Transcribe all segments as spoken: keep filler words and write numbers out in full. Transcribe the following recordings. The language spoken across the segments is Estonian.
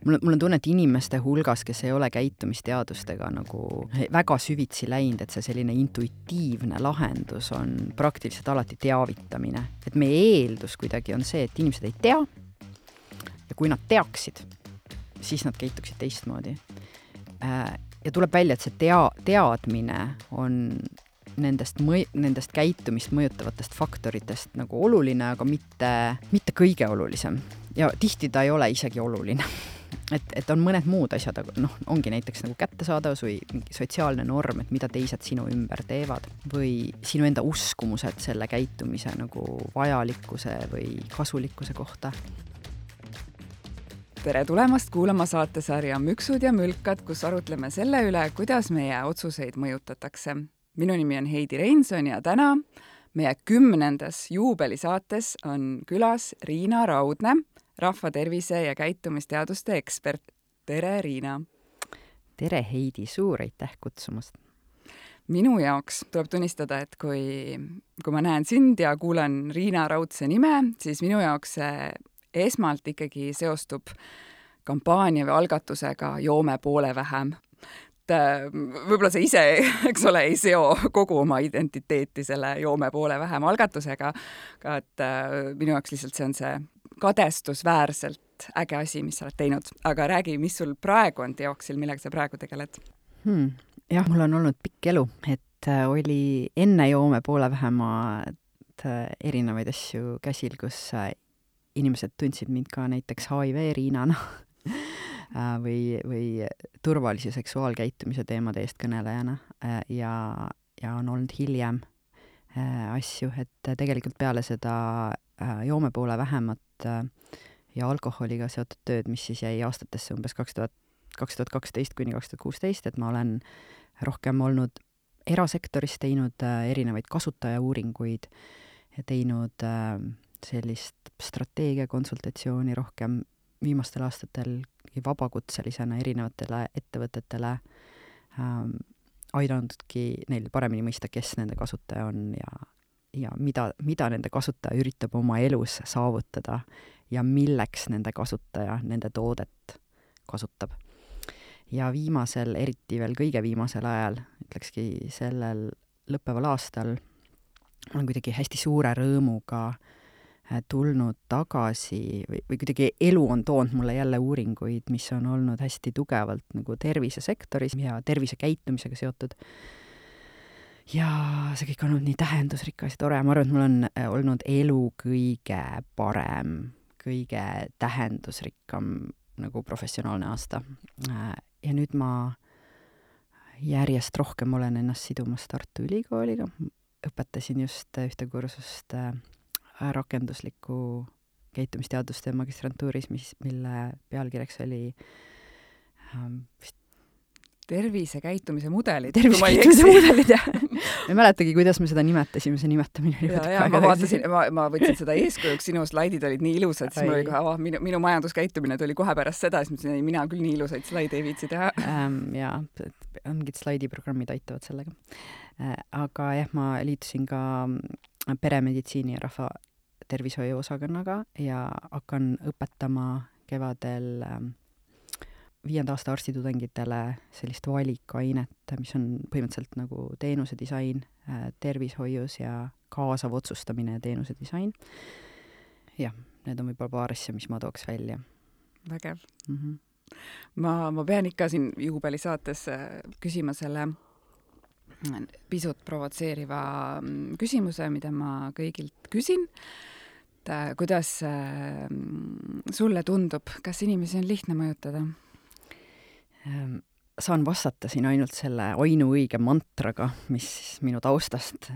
mul, mul on tunne, et inimeste hulgas, kes ei ole käitumisteadustega nagu väga süvitsi läinud, et see selline intuitiivne lahendus on praktiliselt alati teavitamine. Et meie eeldus kuidagi on see, et inimesed ei tea ja kui nad teaksid, siis nad käituksid teistmoodi. Ja tuleb välja, et see tea, teadmine on nendest, mõj, nendest käitumist mõjutavatest faktoritest nagu oluline, aga mitte, mitte kõige olulisem. Ja tihti ta ei ole isegi oluline. Et, et on mõned muud asjad, aga noh, ongi näiteks nagu kättesaadavus või sotsiaalne norm, et mida teised sinu ümber teevad või sinu enda uskumused selle käitumise nagu vajalikkuse või kasulikkuse kohta. Tere tulemast kuulama saatesarja Müksud ja mülkad, kus arutleme selle üle, kuidas meie otsuseid mõjutatakse. Minu nimi on Heidi Reinson ja täna meie kümnendas juubelisaates on külas Riina Raudne, rahvatervise ja käitumisteaduste ekspert. Tere, Riina! Tere, Heidi! Suur aitäh kutsumast! Minu jaoks tuleb tunnistada, et kui, kui ma näen sind ja kuulen Riina Raudse nime, siis minu jaoks see esmalt ikkagi seostub kampaania või algatusega Joome poole vähem. Võib-olla see ise, eks ole, ei seo kogu oma identiteeti selle Joome poole vähem algatusega, aga et minu jaoks lihtsalt see on see kadestusväärselt äge asi, mis sa oled teinud. Aga räägi, mis sul praegu on teoksil, millega sa praegu tegeled? Hmm. Jah, mul on olnud pikk elu, et oli enne Joome poole vähemad erinevaid asju käsil, kus inimesed tundsid mind ka näiteks H I V Riinana või, või turvalise seksuaalkäitumise teemade eest kõnelejana ja, ja on olnud hiljem asju, et tegelikult peale seda Joome poole vähemat ja alkoholiga seotud tööd, mis siis jäi aastatesse umbes kaks tuhat kaksteist kuni kaks tuhat kuusteist, et ma olen rohkem olnud erasektoris, teinud erinevaid kasutajauuringuid ja teinud sellist strateegiakonsultatsiooni rohkem viimastel aastatel vabakutselisena erinevatele ettevõtetele ähm, aidanudki neil paremini mõista, kes nende kasutaja on ja, ja mida, mida nende kasutaja üritab oma elus saavutada ja milleks nende kasutaja nende toodet kasutab. Ja viimasel, eriti veel kõige viimasel ajal, ütlekski sellel lõppeval aastal, olen kuidagi hästi suure rõõmuga tulnud tagasi või, või kuidagi elu on toonud mulle jälle uuringuid, mis on olnud hästi tugevalt nagu tervisesektoris ja tervisekäitumisega seotud. Ja see kõik on olnud nii tähendusrikas ja tore. Ma arvan, et mul on olnud elu kõige parem, kõige tähendusrikkam nagu professionaalne aasta. Ja nüüd ma järjest rohkem olen ennast sidumas Tartu Ülikooliga. Õpetasin just ühte kursust rakendusliku käitumisteaduste magistrantuuris, mis, mille pealkirjaks oli ähm, tervise käitumise mudelid. Tervise käitumise mudelid, jah. Ma ei mäletagi, kuidas me seda nimetasime, see nimetamine oli ja, ja, ma, vaatasin, ma, ma võtsin seda eeskujuks, sinu slaidid olid nii ilusad, siis mul oli kohe, oh, minu, minu majanduskäitumine tuli kohe pärast seda, siis mõtlesin, mina küll nii ilusaid slaide ei viitsi teha. Ähm, ja, mingid slaidiprogrammid aitavad sellega. Äh, aga jah, ma liitusin ka peremeditsiini ja rahva tervishoiu osakonnaga ja hakkan õpetama kevadel ähm, viienda aasta arstitudengitele sellist valikainet, mis on põhimõtteliselt nagu teenuse disain äh, tervishoius ja kaasav otsustamine ja teenuse disain. Jah, need on võib-olla paar asja, mis ma tooks välja. Vägev. Mm-hmm. Ma, ma pean ikka siin juubelisaates küsima selle pisut provotseeriva küsimuse, mida ma kõigilt küsin. Et, kuidas äh, sulle tundub, kas inimesi on lihtne mõjutada? Saan vastata siin ainult selle ainuõige mantraga, mis minu taustast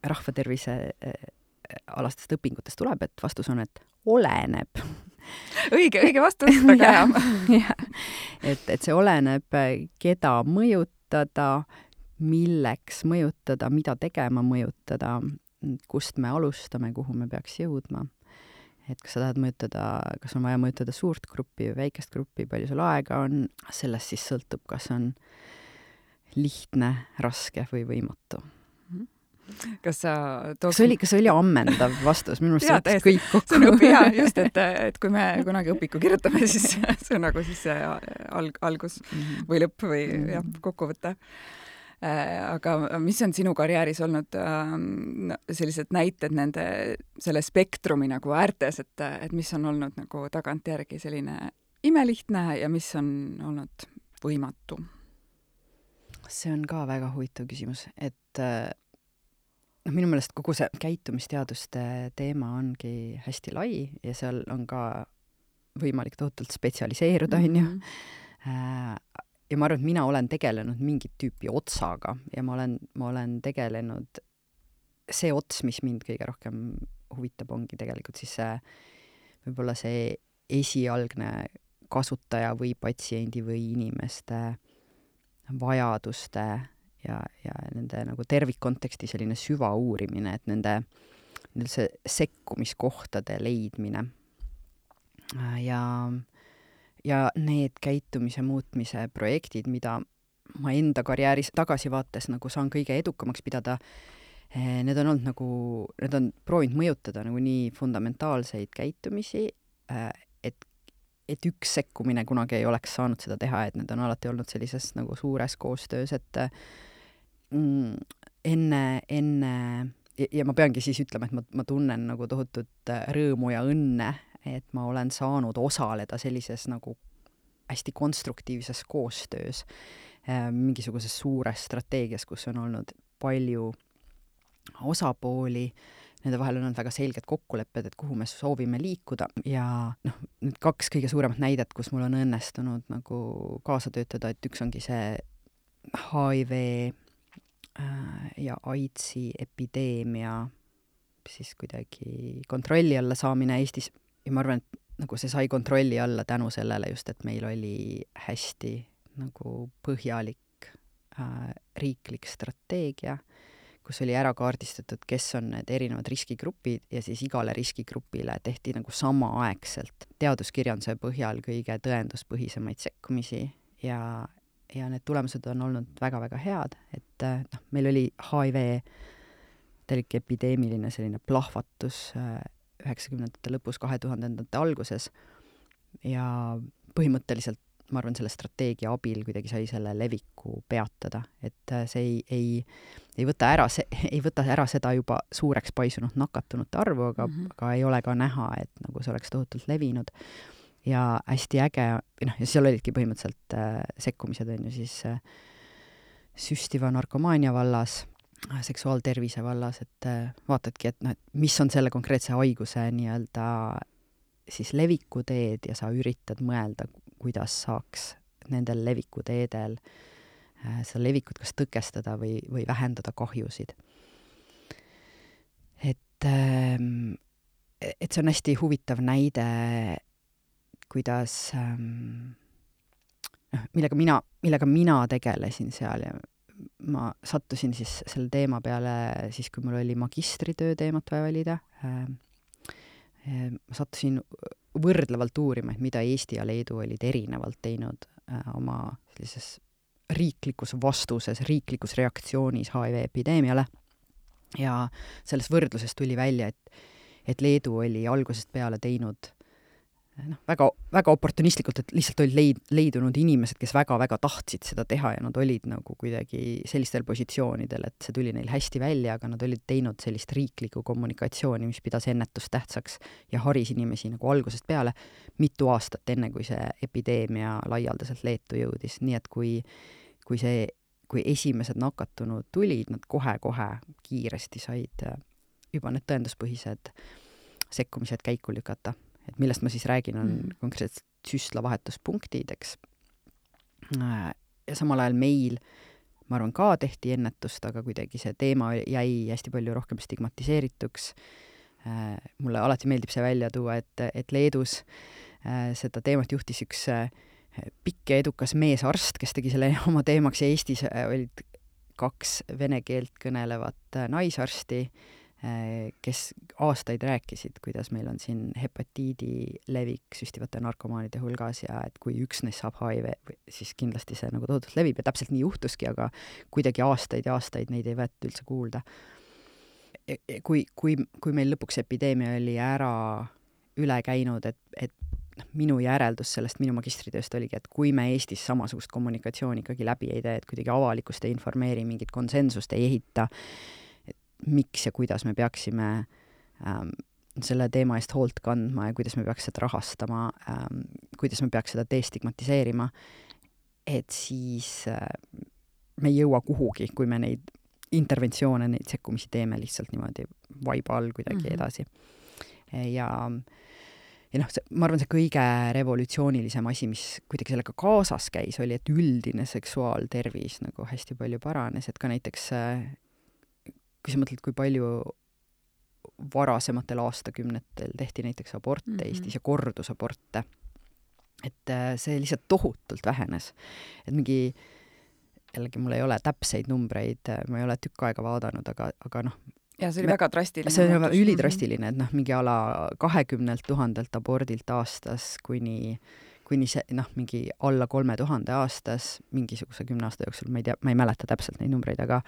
rahvatervise alastest õpingutest tuleb, et vastus on, et oleneb. Õige, õige vastus, väga hea. et, et see oleneb, keda mõjutada, milleks mõjutada, mida tegema mõjutada, kust me alustame, kuhu me peaks jõudma. Et kas sa tahad mõjutada, kas on vaja mõjutada suurt gruppi või väikest gruppi, palju sul aega on, sellest siis sõltub, kas on lihtne, raske või võimatu. kas sa tooks... Kas oli, kas oli ammendav vastus? Minu arust jaa, see võttis kõik kokku. See on õpi, jaa, just, et, et kui me kunagi õpiku kirjutame, siis see on nagu siis see alg, algus või lõpp või jah, kokkuvõte. Aga mis on sinu karjääris olnud no, sellised näited nende, selle spektrumi nagu äärtes, et, et mis on olnud nagu tagantjärgi selline imelihtne ja mis on olnud võimatu? See on ka väga huvitav küsimus, et noh, minu meelest kogu see käitumisteaduste teema ongi hästi lai ja seal on ka võimalik tohutult spetsialiseeruda, on ju. Ja ma arvan, et mina olen tegelenud mingit tüüpi otsaga ja ma olen, ma olen tegelenud see ots, mis mind kõige rohkem huvitab, ongi tegelikult siis see, võib-olla see esialgne kasutaja või patsiendi või inimeste vajaduste ja, ja nende nagu tervikkonteksti selline süvauurimine, et nende, nende see sekkumiskohtade leidmine. Ja, ja need käitumise muutmise projektid, mida ma enda karjääris tagasivaates nagu saan kõige edukamaks pidada, need on olnud nagu, need on proovinud mõjutada nagu nii fundamentaalseid käitumisi, et et üks sekkumine kunagi ei oleks saanud seda teha, et need on alati olnud sellises nagu suures koostöös, et mm, enne, enne ja, ja ma peangi siis ütlema, et ma, ma tunnen nagu tohutut rõõmu ja õnne, et ma olen saanud osaleda sellises nagu hästi konstruktiivses koostöös mingisuguses suures strateegias, kus on olnud palju osapooli, nende vahel on olnud väga selged kokkulepped, et kuhu me soovime liikuda ja noh, nüüd kaks kõige suuremat näidet, kus mul on õnnestunud nagu kaasa töötada, et üks ongi see H I V ja AIDSi epideemia siis kuidagi kontrolli alla saamine Eestis ja ma arvan, et nagu see sai kontrolli alla tänu sellele just, et meil oli hästi nagu põhjalik äh, riiklik strateegia, kus oli ära kaardistatud, kes on need erinevad riskigrupid ja siis igale riskigrupile tehti nagu samaaegselt teaduskirjanduse põhjal kõige tõenduspõhisemaid sekkumisi ja, ja need tulemused on olnud väga-väga head, et noh, meil oli H I V täielik epideemiline selline plahvatus üheksakümnendate lõpus, kahe tuhandendate alguses ja põhimõtteliselt ma arvan, selle strateegia abil kuidagi sai selle leviku peatada, et see ei, ei, ei, võta ära, see, ei võta ära seda juba suureks paisunud nakatunute arvu, aga, mm -hmm. aga ei ole ka näha, et nagu see oleks tohutult levinud. Ja hästi äge, noh, ja seal olidki põhimõtteliselt äh, sekkumised, on ju siis äh, süstiva narkomaania vallas, äh, seksuaaltervise vallas, et äh, vaatadki, et noh, et mis on selle konkreetse haiguse nii-öelda siis levikuteed ja sa üritad mõelda, kuidas saaks nendel levikuteedel äh, seda levikut kas tõkestada või, või vähendada kahjusid. Et, ähm, et see on hästi huvitav näide, kuidas ähm, millega mina, millega mina tegelesin seal ja ma sattusin siis selle teema peale siis, kui mul oli magistritöö teemat vaja valida. Ähm, ma sattusin võrdlevalt uurima, et mida Eesti ja Leedu olid erinevalt teinud äh, oma sellises riiklikus vastuses, riiklikus reaktsioonis H I V epideemiale. Ja selles võrdluses tuli välja, et, et Leedu oli algusest peale teinud noh, väga, väga oportunistlikult, et lihtsalt olid leid, leidunud inimesed, kes väga-väga tahtsid seda teha ja nad olid nagu kuidagi sellistel positsioonidel, et see tuli neil hästi välja, aga nad olid teinud sellist riiklikku kommunikatsiooni, mis pidas ennetust tähtsaks ja haris inimesi nagu algusest peale mitu aastat enne, kui see epideemia laialdaselt Leetu jõudis. Nii et kui, kui, see, kui esimesed nakatunud tulid, nad kohe-kohe kiiresti said juba need tõenduspõhised sekkumised käiku lükata. Et millest ma siis räägin, on mm. konkreetselt süstlavahetuspunktid, eks. Ja samal ajal meil, ma arvan, ka tehti ennetust, aga kuidagi see teema jäi hästi palju rohkem stigmatiseerituks. Mulle alati meeldib see välja tuua, et, et Leedus seda teemat juhtis üks pikk ja edukas meesarst, kes tegi selle oma teemaks ja Eestis olid kaks vene keelt kõnelevat naisarsti, kes aastaid rääkisid, kuidas meil on siin hepatiidi levik süstivate narkomaanide hulgas ja et kui üks neist saab H I V, siis kindlasti see nagu tohutult levib ja täpselt nii juhtuski, aga kuidagi aastaid ja aastaid neid ei võetud üldse kuulda. kui, kui, kui meil lõpuks epideemia oli ära üle käinud, et, et minu järeldus sellest minu magistritööst oligi, et kui me Eestis samasugust kommunikatsiooni ikkagi läbi ei tee, et kuidagi avalikkust ei informeeri, mingit konsensust ei ehita, et miks ja kuidas me peaksime ähm, selle teema eest hoolt kandma ja kuidas me peaks seda rahastama ähm,, kuidas me peaks seda destigmatiseerima, et siis äh, me ei jõua kuhugi, kui me neid interventsioone, neid sekkumisi teeme lihtsalt niimoodi vaiba all kuidagi mm-hmm. edasi. Ja, ja noh, see, ma arvan, see kõige revolutsioonilisem asi, mis kuidagi sellega kaasas käis, oli, et üldine seksuaaltervis nagu hästi palju paranes, et ka näiteks kui sa mõtled, kui palju varasematel aastakümnetel tehti näiteks aborte mm-hmm. Eestis ja kordusaborte, et see lihtsalt tohutult vähenes. Et mingi jällegi mul ei ole täpseid numbreid, ma ei ole tükk aega vaadanud, aga, aga noh, ja see oli me, väga drastiline. See oli ülidrastiline, et noh, mingi ala kahekümnelt tuhandelt abordilt aastas kuni, kuni see, noh, mingi alla kolme tuhande aastas, mingisuguse kümne aasta jooksul, ma ei tea, ma ei mäleta täpselt neid numbreid, aga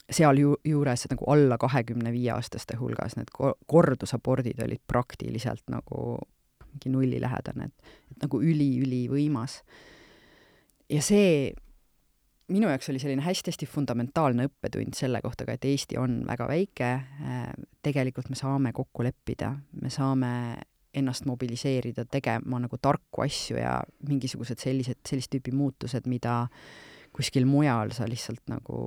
seal ju, juures nagu alla kahekümne viie aastaste hulgas need kordusabordid olid praktiliselt nagu mingi nulli lähedane, et, et nagu üli-üli võimas. Ja see minu jaoks oli selline hästi-hästi fundamentaalne õppetund selle kohta ka, et Eesti on väga väike, tegelikult me saame kokku leppida, me saame ennast mobiliseerida, tegema nagu tarku asju ja mingisugused sellised, sellist tüüpi muutused, mida kuskil mujal sa lihtsalt nagu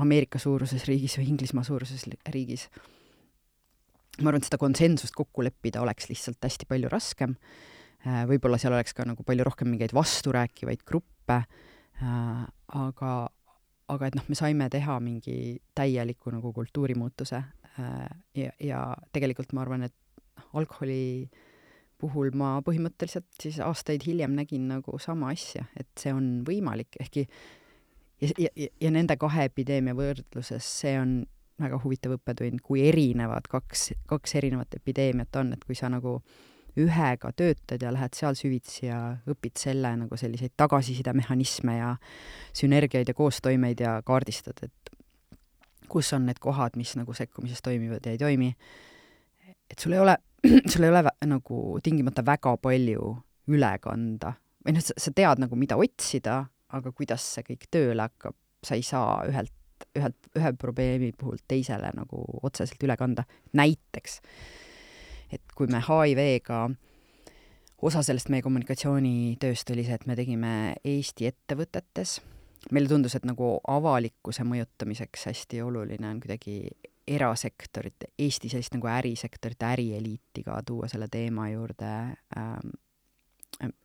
Ameerika suuruses riigis või Inglismaa suuruses riigis. Ma arvan, et seda konsensust kokku leppida oleks lihtsalt hästi palju raskem. Võib-olla seal oleks ka nagu palju rohkem mingeid vasturääkivaid gruppe, aga, aga et noh, me saime teha mingi täieliku nagu kultuurimuutuse ja, ja tegelikult ma arvan, et alkoholi puhul ma põhimõtteliselt siis aastaid hiljem nägin nagu sama asja, et see on võimalik, ehkki ja, ja, ja nende kahe epideemia võrdluses see on väga huvitav õppetund, kui erinevad kaks, kaks erinevat epideemiat on, et kui sa nagu ühega töötad ja lähed seal süvitsi ja õpid selle nagu selliseid tagasisidemehhanisme ja sünergiaid ja koostoimeid ja kaardistad, et kus on need kohad, mis nagu sekkumises toimivad ja ei toimi. Et sul ei ole, sul ei ole vä, nagu tingimata väga palju üle kanda. Või noh, sa, sa tead nagu mida otsida, aga kuidas see kõik tööle hakkab, sa ei saa ühelt, ühelt, ühe probleemi puhul teisele nagu otseselt üle kanda. Näiteks et kui me H I V-ga, osa sellest meie kommunikatsioonitööst oli see, et me tegime Eesti ettevõtetes. Meile tundus, et nagu avalikkuse mõjutamiseks hästi oluline on kuidagi erasektorit, Eesti sellist nagu ärisektorit, ärieliiti ka tuua selle teema juurde.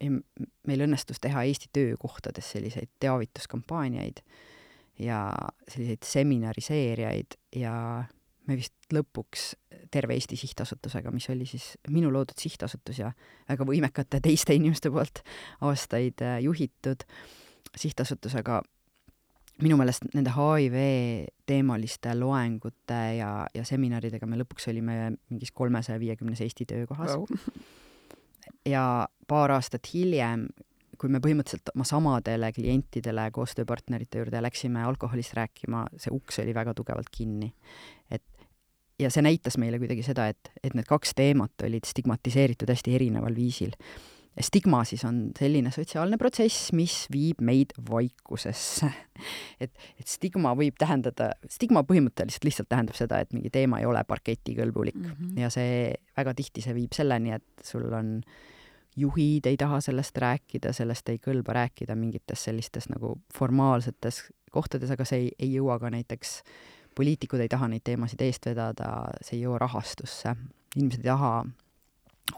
Meil õnnestus teha Eesti töökohtades selliseid teavituskampaaniaid ja selliseid seminariseeriaid ja me vist lõpuks terve Eesti sihtasutusega, mis oli siis minu loodud sihtasutus ja väga võimekate teiste inimeste poolt aastaid juhitud sihtasutusega. Minu meelest nende H I V teemaliste loengute ja, ja seminaridega me lõpuks olime mingis kolmesaja viiekümnes Eesti töökohas. Wow. Ja paar aastat hiljem, kui me põhimõtteliselt oma samadele klientidele, koostööpartnerite juurde läksime alkoholist rääkima, see uks oli väga tugevalt kinni. Et ja see näitas meile kuidagi seda, et, et need kaks teemat olid stigmatiseeritud hästi erineval viisil. Stigma siis on selline sotsiaalne protsess, mis viib meid vaikusesse. Et, et stigma võib tähendada, stigma põhimõtteliselt lihtsalt tähendab seda, et mingi teema ei ole parketikõlbulik. Mm-hmm. Ja see väga tihti see viib selleni, et sul on juhid ei taha sellest rääkida, sellest ei kõlba rääkida mingites sellistes nagu formaalsetes kohtades, aga see ei, ei jõua ka näiteks poliitikud ei taha neid teemasid eest vedada, see ei jõua rahastusse. Inimesed ei taha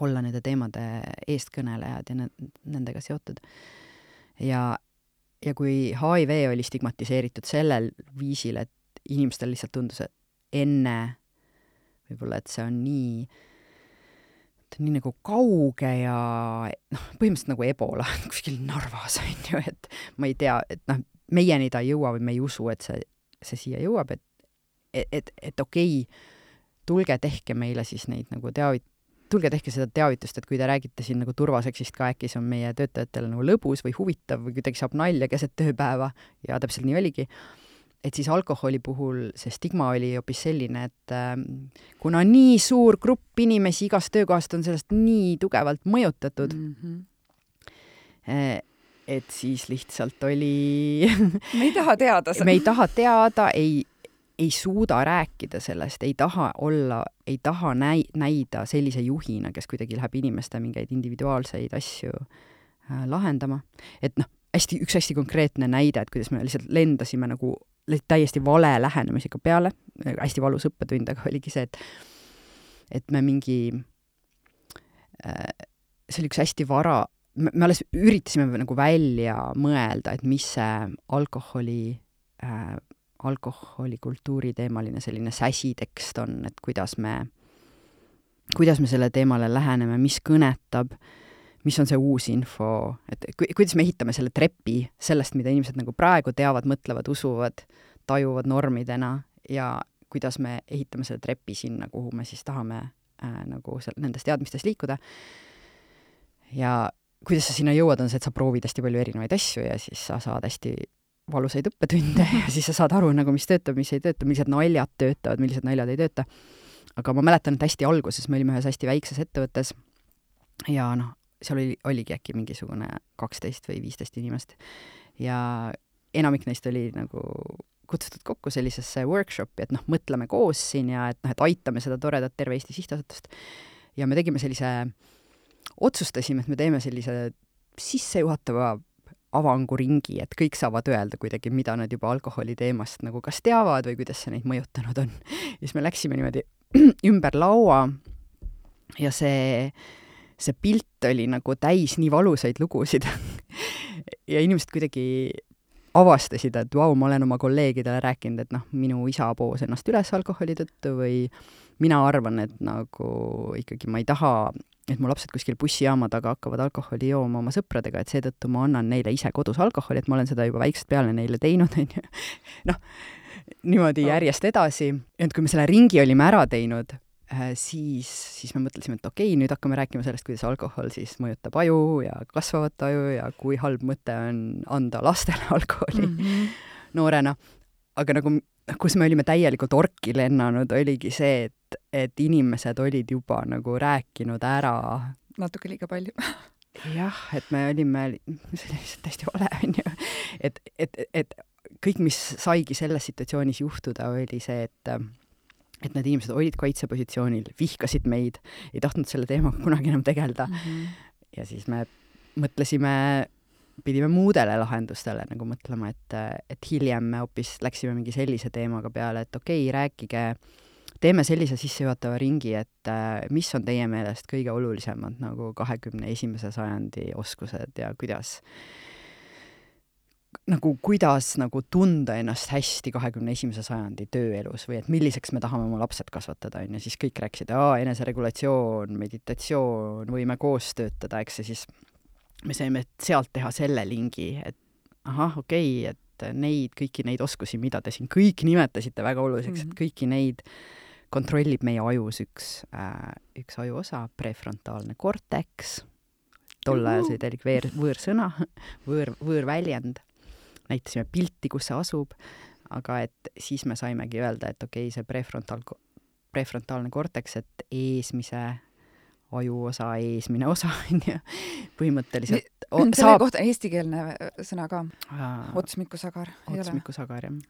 olla nende teemade eestkõnelejad ja nendega seotud. Ja, ja kui H I V oli stigmatiseeritud sellel viisil, et inimestel lihtsalt tundus, et enne võib-olla, et see on nii, nii nagu kauge ja noh, põhimõtteliselt nagu Ebola kuskil Narvas on ju, et ma ei tea, et noh, meieni ta ei jõua või me ei usu, et see, see siia jõuab, et et, et, et okei, tulge tehke meile siis neid nagu teavit-, tulge tehke seda teavitust, et kui te räägite siin nagu turvaseksist ka, äkki see on meie töötajatele nagu lõbus või huvitav või kuidagi saab nalja keset tööpäeva ja täpselt nii oligi. et siis alkoholi puhul see stigma oli hoopis selline, et äh, kuna nii suur grupp inimesi igast töökohast on sellest nii tugevalt mõjutatud, mm-hmm. äh, et siis lihtsalt oli me ei taha teada me ei taha teada, ei, ei suuda rääkida sellest, ei taha olla, ei taha näi, näida sellise juhina, kes kuidagi läheb inimeste mingeid individuaalseid asju äh, lahendama. Et noh, hästi, üks hästi konkreetne näide, et kuidas me lihtsalt lendasime nagu täiesti vale lähenemisega peale, hästi valus õppetund, aga oligi see, et et me mingi äh, see oli üks hästi vara, me, me alles üritasime nagu välja mõelda, et mis see alkoholi äh, alkoholikultuuri teemaline selline säsitekst on, et kuidas me kuidas me selle teemale läheneme, mis kõnetab, mis on see uus info, et kuidas me ehitame selle trepi sellest, mida inimesed nagu praegu teavad, mõtlevad, usuvad, tajuvad normidena ja kuidas me ehitame selle trepi sinna, kuhu me siis tahame äh, nagu seal, nendes teadmistes liikuda. Ja kuidas sa sinna jõuad, on see, et sa proovid hästi palju erinevaid asju ja siis sa saad hästi valusaid õppetunde ja siis sa saad aru, nagu, mis töötab, mis ei tööta, millised naljad töötavad, millised naljad ei tööta. Aga ma mäletan, et hästi alguses me olime ühes hästi väikses ettevõttes ja noh, seal oli, oligi äkki mingisugune kaksteist või viisteist inimest ja enamik neist oli nagu kutsutud kokku sellisesse workshopi, et noh, mõtleme koos siin ja et noh, et aitame seda toredat Terve Eesti Sihtasutust. Ja me tegime sellise, otsustasime, et me teeme sellise sissejuhatava avanguringi, et kõik saavad öelda kuidagi, mida nad juba alkoholi teemast nagu kas teavad või kuidas see neid mõjutanud on. Ja siis me läksime niimoodi ümber laua ja see see pilt oli nagu täis nii valusaid lugusid ja inimesed kuidagi avastasid, et vau, ma olen oma kolleegidele rääkinud, et noh, minu isa poos ennast üles alkoholi tõttu või mina arvan, et nagu ikkagi ma ei taha, et mu lapsed kuskil bussijaama taga hakkavad alkoholi jooma oma sõpradega, et seetõttu ma annan neile ise kodus alkoholi, et ma olen seda juba väiksest peale neile teinud, on ju. Noh, niimoodi järjest edasi. Et kui me selle ringi olime ära teinud, siis, siis me mõtlesime, et okei, nüüd hakkame rääkima sellest, kuidas alkohol siis mõjutab aju ja kasvavat aju ja kui halb mõte on anda lastele alkoholi mm-hmm. noorena. Aga nagu, kus me olime täielikult orki lennanud, oligi see, et, et inimesed olid juba nagu rääkinud ära. Natuke liiga palju. Jah, et me olime, see oli lihtsalt hästi vale, on ju. Et, et, et kõik, mis saigi selles situatsioonis juhtuda, oli see, et et need inimesed olid kaitsepositsioonil, vihkasid meid, ei tahtnud selle teemaga kunagi enam tegelda. Mm-hmm. Ja siis me mõtlesime, pidime muudele lahendustele nagu mõtlema, et, et hiljem me hoopis läksime mingi sellise teemaga peale, et okei, rääkige, teeme sellise sissejuhatava ringi, et mis on teie meelest kõige olulisemad nagu kahekümne esimese sajandi oskused ja kuidas nagu kuidas nagu tunda ennast hästi kahekümne esimese sajandi tööelus või et milliseks me tahame oma lapsed kasvatada, on ja siis kõik rääkisid, aa, eneseregulatsioon, meditatsioon, võime koos töötada, eks, ja siis me saime sealt teha selle lingi, et ahah, okei, et neid, kõiki neid oskusi, mida te siin kõik nimetasite väga oluliseks, mm-hmm. et kõiki neid kontrollib meie ajus üks, äh, üks aju osa, prefrontaalne korteks, tol ajal see oli veer, võõrsõna, võõr, võõrväljend. Näitasime pilti, kus see asub, aga et siis me saimegi öelda, et okei, see prefrontaal, prefrontaalne korteks, et eesmise ajuosa, eesmine osa, põhimõtteliselt o, selle saab... kohta eestikeelne sõna ka. Otsmikusagar. Otsmikusagar, jah.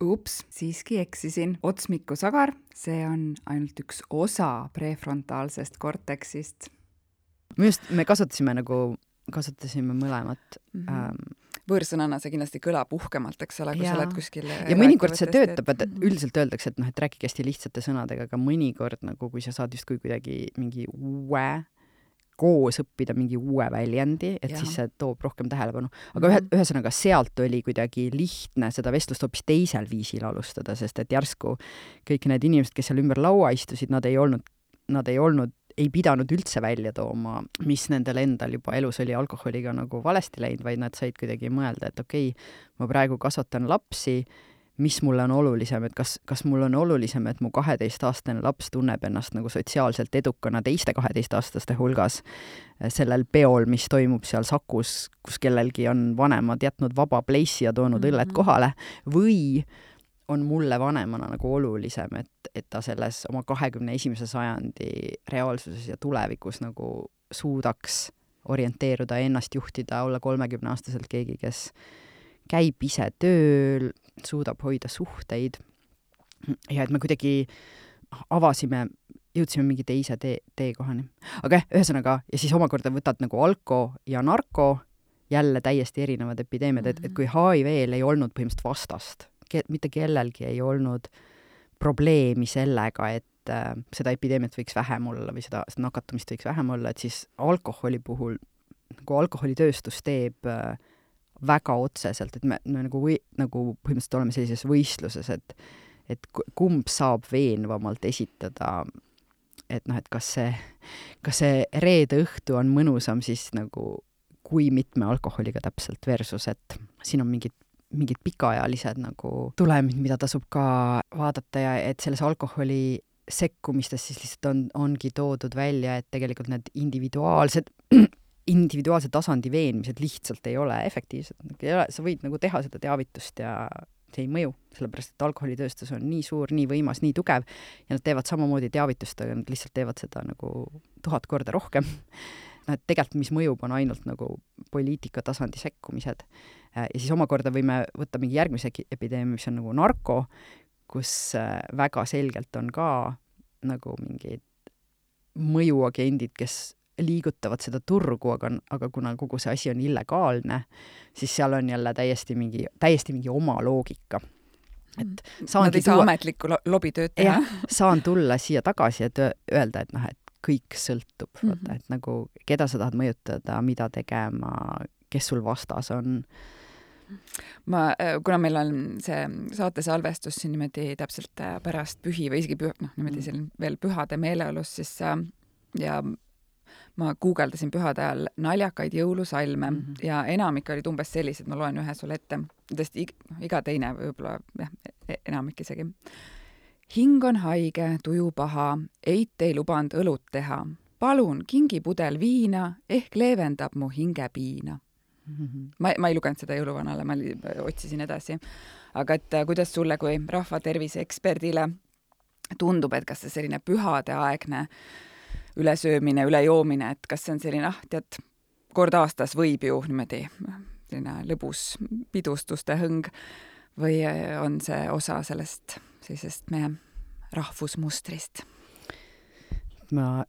Ups, siiski eksisin. Otsmikusagar, see on ainult üks osa prefrontaalsest korteksist. Just me kasutasime nagu, kasutasime mõlemat. Mm-hmm. Ähm, võõrsõnana see kindlasti kõlab uhkemalt, eks ole, kui sa oled kuskil ja mõnikord see töötab, et üldiselt öeldakse, et noh, et rääkige hästi lihtsate sõnadega, aga mõnikord nagu, kui sa saad just kui kuidagi mingi uue, koos õppida mingi uue väljendi, et ja. Siis see toob rohkem tähelepanu. Aga ühe, ühesõnaga sealt oli kuidagi lihtne seda vestlust hoopis teisel viisil alustada, sest et järsku kõik need inimesed, kes seal ümber laua istusid, nad ei olnud, nad ei olnud ei pidanud üldse välja tooma, mis nendel endal juba elus oli alkoholiga nagu valesti läinud, vaid nad said kuidagi mõelda, et okei, ma praegu kasvatan lapsi, mis mulle on olulisem, et kas, kas mul on olulisem, et mu kaheteistaastane laps tunneb ennast nagu sotsiaalselt edukana teiste kaheteistaastaste hulgas sellel peol, mis toimub seal Sakus, kus kellelgi on vanemad jätnud vaba pleissi ja toonud mm-hmm. õlled kohale, või on mulle vanemana nagu olulisem, et, et ta selles oma kahekümne esimese sajandi reaalsuses ja tulevikus nagu suudaks orienteeruda, ennast juhtida, olla kolmekümne aastaselt keegi, kes käib ise tööl, suudab hoida suhteid ja et me kuidagi avasime, jõudsime mingi teise tee, teekohani. Aga jah, ühesõnaga, ja siis omakorda võtad nagu alko ja narko, jälle täiesti erinevad epideemiad, et, et kui H I V-l ei olnud põhimõtteliselt vastast, ke, mitte kellelgi ei olnud probleemi sellega, et äh, seda epideemiat võiks vähem olla või seda, seda nakatumist võiks vähem olla, et siis alkoholi puhul, nagu alkoholitööstus teeb äh, väga otseselt, et me, me nagu, või, nagu põhimõtteliselt oleme sellises võistluses, et, et kumb saab veenvamalt esitada, et noh, et kas see, kas see reede õhtu on mõnusam siis nagu kui mitme alkoholiga täpselt versus, et siin on mingid, mingid pikaajalised nagu tulemid, mida tasub ka vaadata ja et selles alkoholi sekkumistes siis lihtsalt on, ongi toodud välja, et tegelikult need individuaalsed individuaalse tasandi veenmised lihtsalt ei ole efektiivsed. Sa võid nagu teha seda teavitust ja see ei mõju, sellepärast et alkoholitööstus on nii suur, nii võimas, nii tugev ja nad teevad samamoodi teavitust, aga nad lihtsalt teevad seda nagu tuhat korda rohkem. No, et tegelikult mis mõjub on ainult nagu poliitika tasandi sekkumised. Ja siis omakorda võime võtta mingi järgmise epideemia, mis on nagu narko, kus väga selgelt on ka nagu mingid mõjuagendid, kes liigutavad seda turgu, aga, aga kuna kogu see asi on illegaalne, siis seal on jälle täiesti mingi, täiesti mingi oma loogika. Et Nad ei saa tuua... ametlikku lo- lobitööd teha. Ja, saan tulla siia tagasi, et öelda, et noh, et kõik sõltub, mm-hmm. vaata, et nagu keda sa tahad mõjutada, mida tegema, kes sul vastas on. Ma, kuna meil on see saate salvestus siin niimoodi täpselt pärast pühi või isegi püh, noh, niimoodi seal veel pühade meeleolus, siis ja ma guugeldasin pühade ajal naljakaid jõulusalme mm-hmm. ja enamik olid umbes sellised, ma loen ühe sulle ette. Tõesti, iga teine võib-olla, jah, enamik isegi. Hing on haige, tuju paha, eit ei lubanud õlut teha. Palun, kingi pudel viina, ehk leevendab mu hinge piina. Mm-hmm. Ma, ma ei lugenud seda jõuluvanale, ma otsisin edasi. Aga et kuidas sulle kui rahvatervise eksperdile tundub, et kas see selline pühade aegne ülesöömine, ülejoomine, et kas see on selline, ah, tead, kord aastas võib ju niimoodi selline lõbus pidustuste hõng või on see osa sellest sellisest meie rahvusmustrist? Ma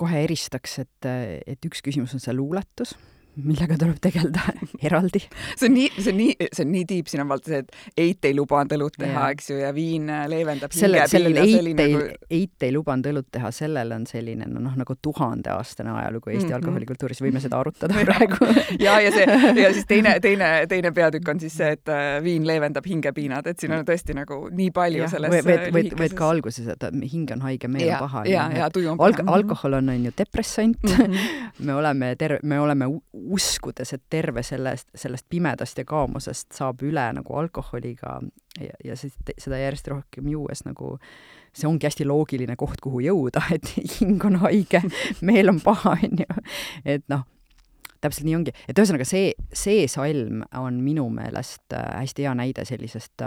kohe eristaks, et, et üks küsimus on see luuletus, millega tuleb tegelda eraldi. See on nii, see on nii, see on nii tiip, siin on valda see, et eit ei lubanud õlut teha, eks ju, ja viin leevendab Selle, hinge piina. Eit, nagu... eit ei lubanud õlut teha, sellel on selline, no noh, nagu tuhandeaastane ajalugu Eesti mm-hmm. alkoholikultuuris, võime seda arutada praegu. ja, ja see, ja siis teine, teine, teine peatükk on siis see, et viin leevendab hingepiinad, et siin on tõesti nagu nii palju ja, selles võid, võid, võid ka alguses, et hing on haige, meel on paha. Ja, ja, tuju on paha. Alk- alkohol on, on ju depressant, mm-hmm. me oleme, ter- me oleme uskudes, et terve sellest, sellest pimedast ja kaamusest saab üle nagu alkoholiga ja, ja seda järjest rohkem juues nagu see ongi hästi loogiline koht, kuhu jõuda, et hing on haige, meel on paha, on ju. Et noh, täpselt nii ongi. Et ühesõnaga see, see salm on minu meelest hästi hea näide sellisest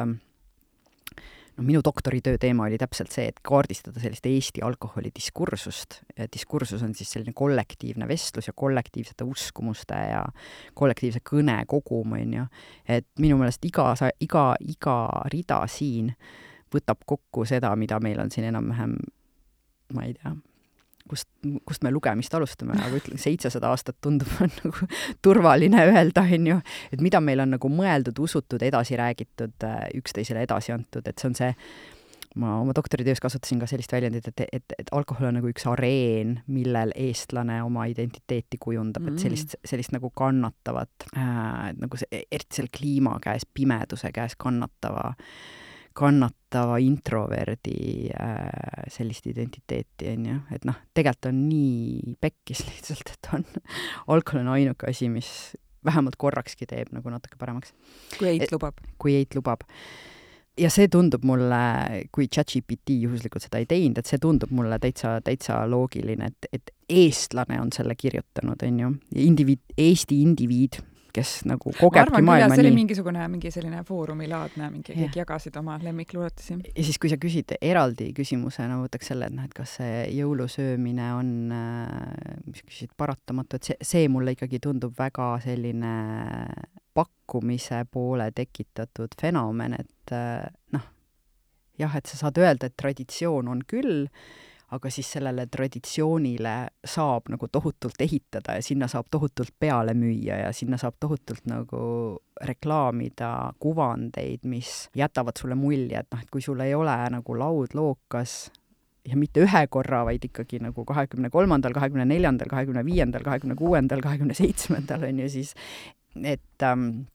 no minu doktoritöö teema oli täpselt see, et kaardistada sellist Eesti alkoholidiskursust. Diskursus on siis selline kollektiivne vestlus ja kollektiivsete uskumuste ja kollektiivse kõne kogum, on ju. Et minu meelest iga, iga, iga rida siin võtab kokku seda, mida meil on siin enam-vähem, ma ei tea, kust, kust me lugemist alustame, aga ütlen, seitsesada aastat tundub nagu turvaline öelda, on ju, et mida meil on nagu mõeldud, usutud, edasi räägitud, üksteisele edasi antud, et see on see, ma oma doktoritöös kasutasin ka sellist väljendit, et, et, et alkohol on nagu üks areen, millel eestlane oma identiteeti kujundab, et sellist, sellist nagu kannatavat, äh, nagu see, eriti selle kliima käes, pimeduse käes kannatava kannatava introverdi äh, sellist identiteeti, on ju. Et noh, tegelikult on nii pekkis lihtsalt, et on alkohol on ainuke asi, mis vähemalt korrakski teeb nagu natuke paremaks. Kui eit lubab. Kui eit lubab. Ja see tundub mulle, kui ChatGPT juhuslikult seda ei teinud, et see tundub mulle täitsa, täitsa loogiline, et, et eestlane on selle kirjutanud, on ju. Indiviid, Eesti indiviid, kes nagu kogebki maailma nii. See oli nii. mingisugune mingi selline foorumilaadne, mingi yeah. kõik jagasid oma lemmikluuletusi. Ja siis, kui sa küsid eraldi küsimusena, võtaks selle, et, noh, et kas see jõulusöömine on, mis küsid, paratamatu, et see, see mulle ikkagi tundub väga selline pakkumise poole tekitatud fenomen, et noh, jah, et sa saad öelda, et traditsioon on küll, aga siis sellele traditsioonile saab nagu tohutult ehitada ja sinna saab tohutult peale müüa ja sinna saab tohutult nagu reklaamida kuvandeid, mis jätavad sulle mulje, et noh, et kui sul ei ole nagu laud lookas ja mitte ühe korra, vaid ikkagi nagu kahekümne kolmandal, kahekümne neljandal, kahekümne viiendal, kahekümne kuuendal, kahekümne seitsmendal on ju siis, et ähm,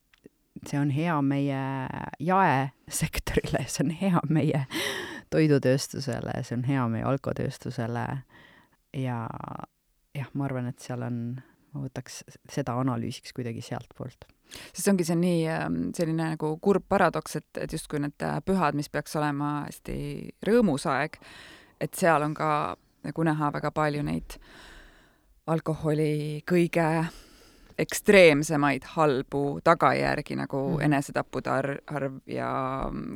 see on hea meie jaesektorile, see on hea meie toidutööstusele, see on hea meie alkotööstusele ja jah, ma arvan, et seal on, ma võtaks seda analüüsiks kuidagi sealt poolt. Sest ongi see nii selline nagu kurb paradoks, et, et justkui need pühad, mis peaks olema hästi rõõmus aeg, et seal on ka nagu näha väga palju neid alkoholi kõige ekstreemsemaid halbu tagajärgi nagu mm. enesetapude arv ja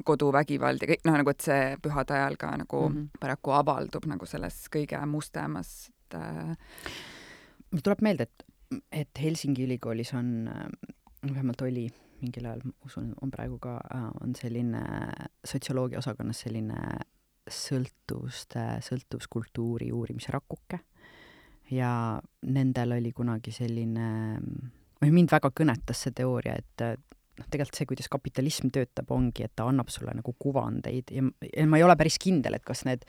koduvägivald ja kõik, noh, nagu et see pühade ajal ka nagu mm -hmm. paraku avaldub nagu selles kõige mustemas. Mul tuleb meelde, et, et Helsingi ülikoolis on, vähemalt oli mingil ajal, usun, on praegu ka, on selline sotsioloogia osakonnas selline sõltuvuste, sõltuvuskultuuri uurimise rakuke. Ja nendel oli kunagi selline, või mind väga kõnetas see teooria, et noh, tegelikult see, kuidas kapitalism töötab, ongi, et ta annab sulle nagu kuvandeid ja, ja ma ei ole päris kindel, et kas need,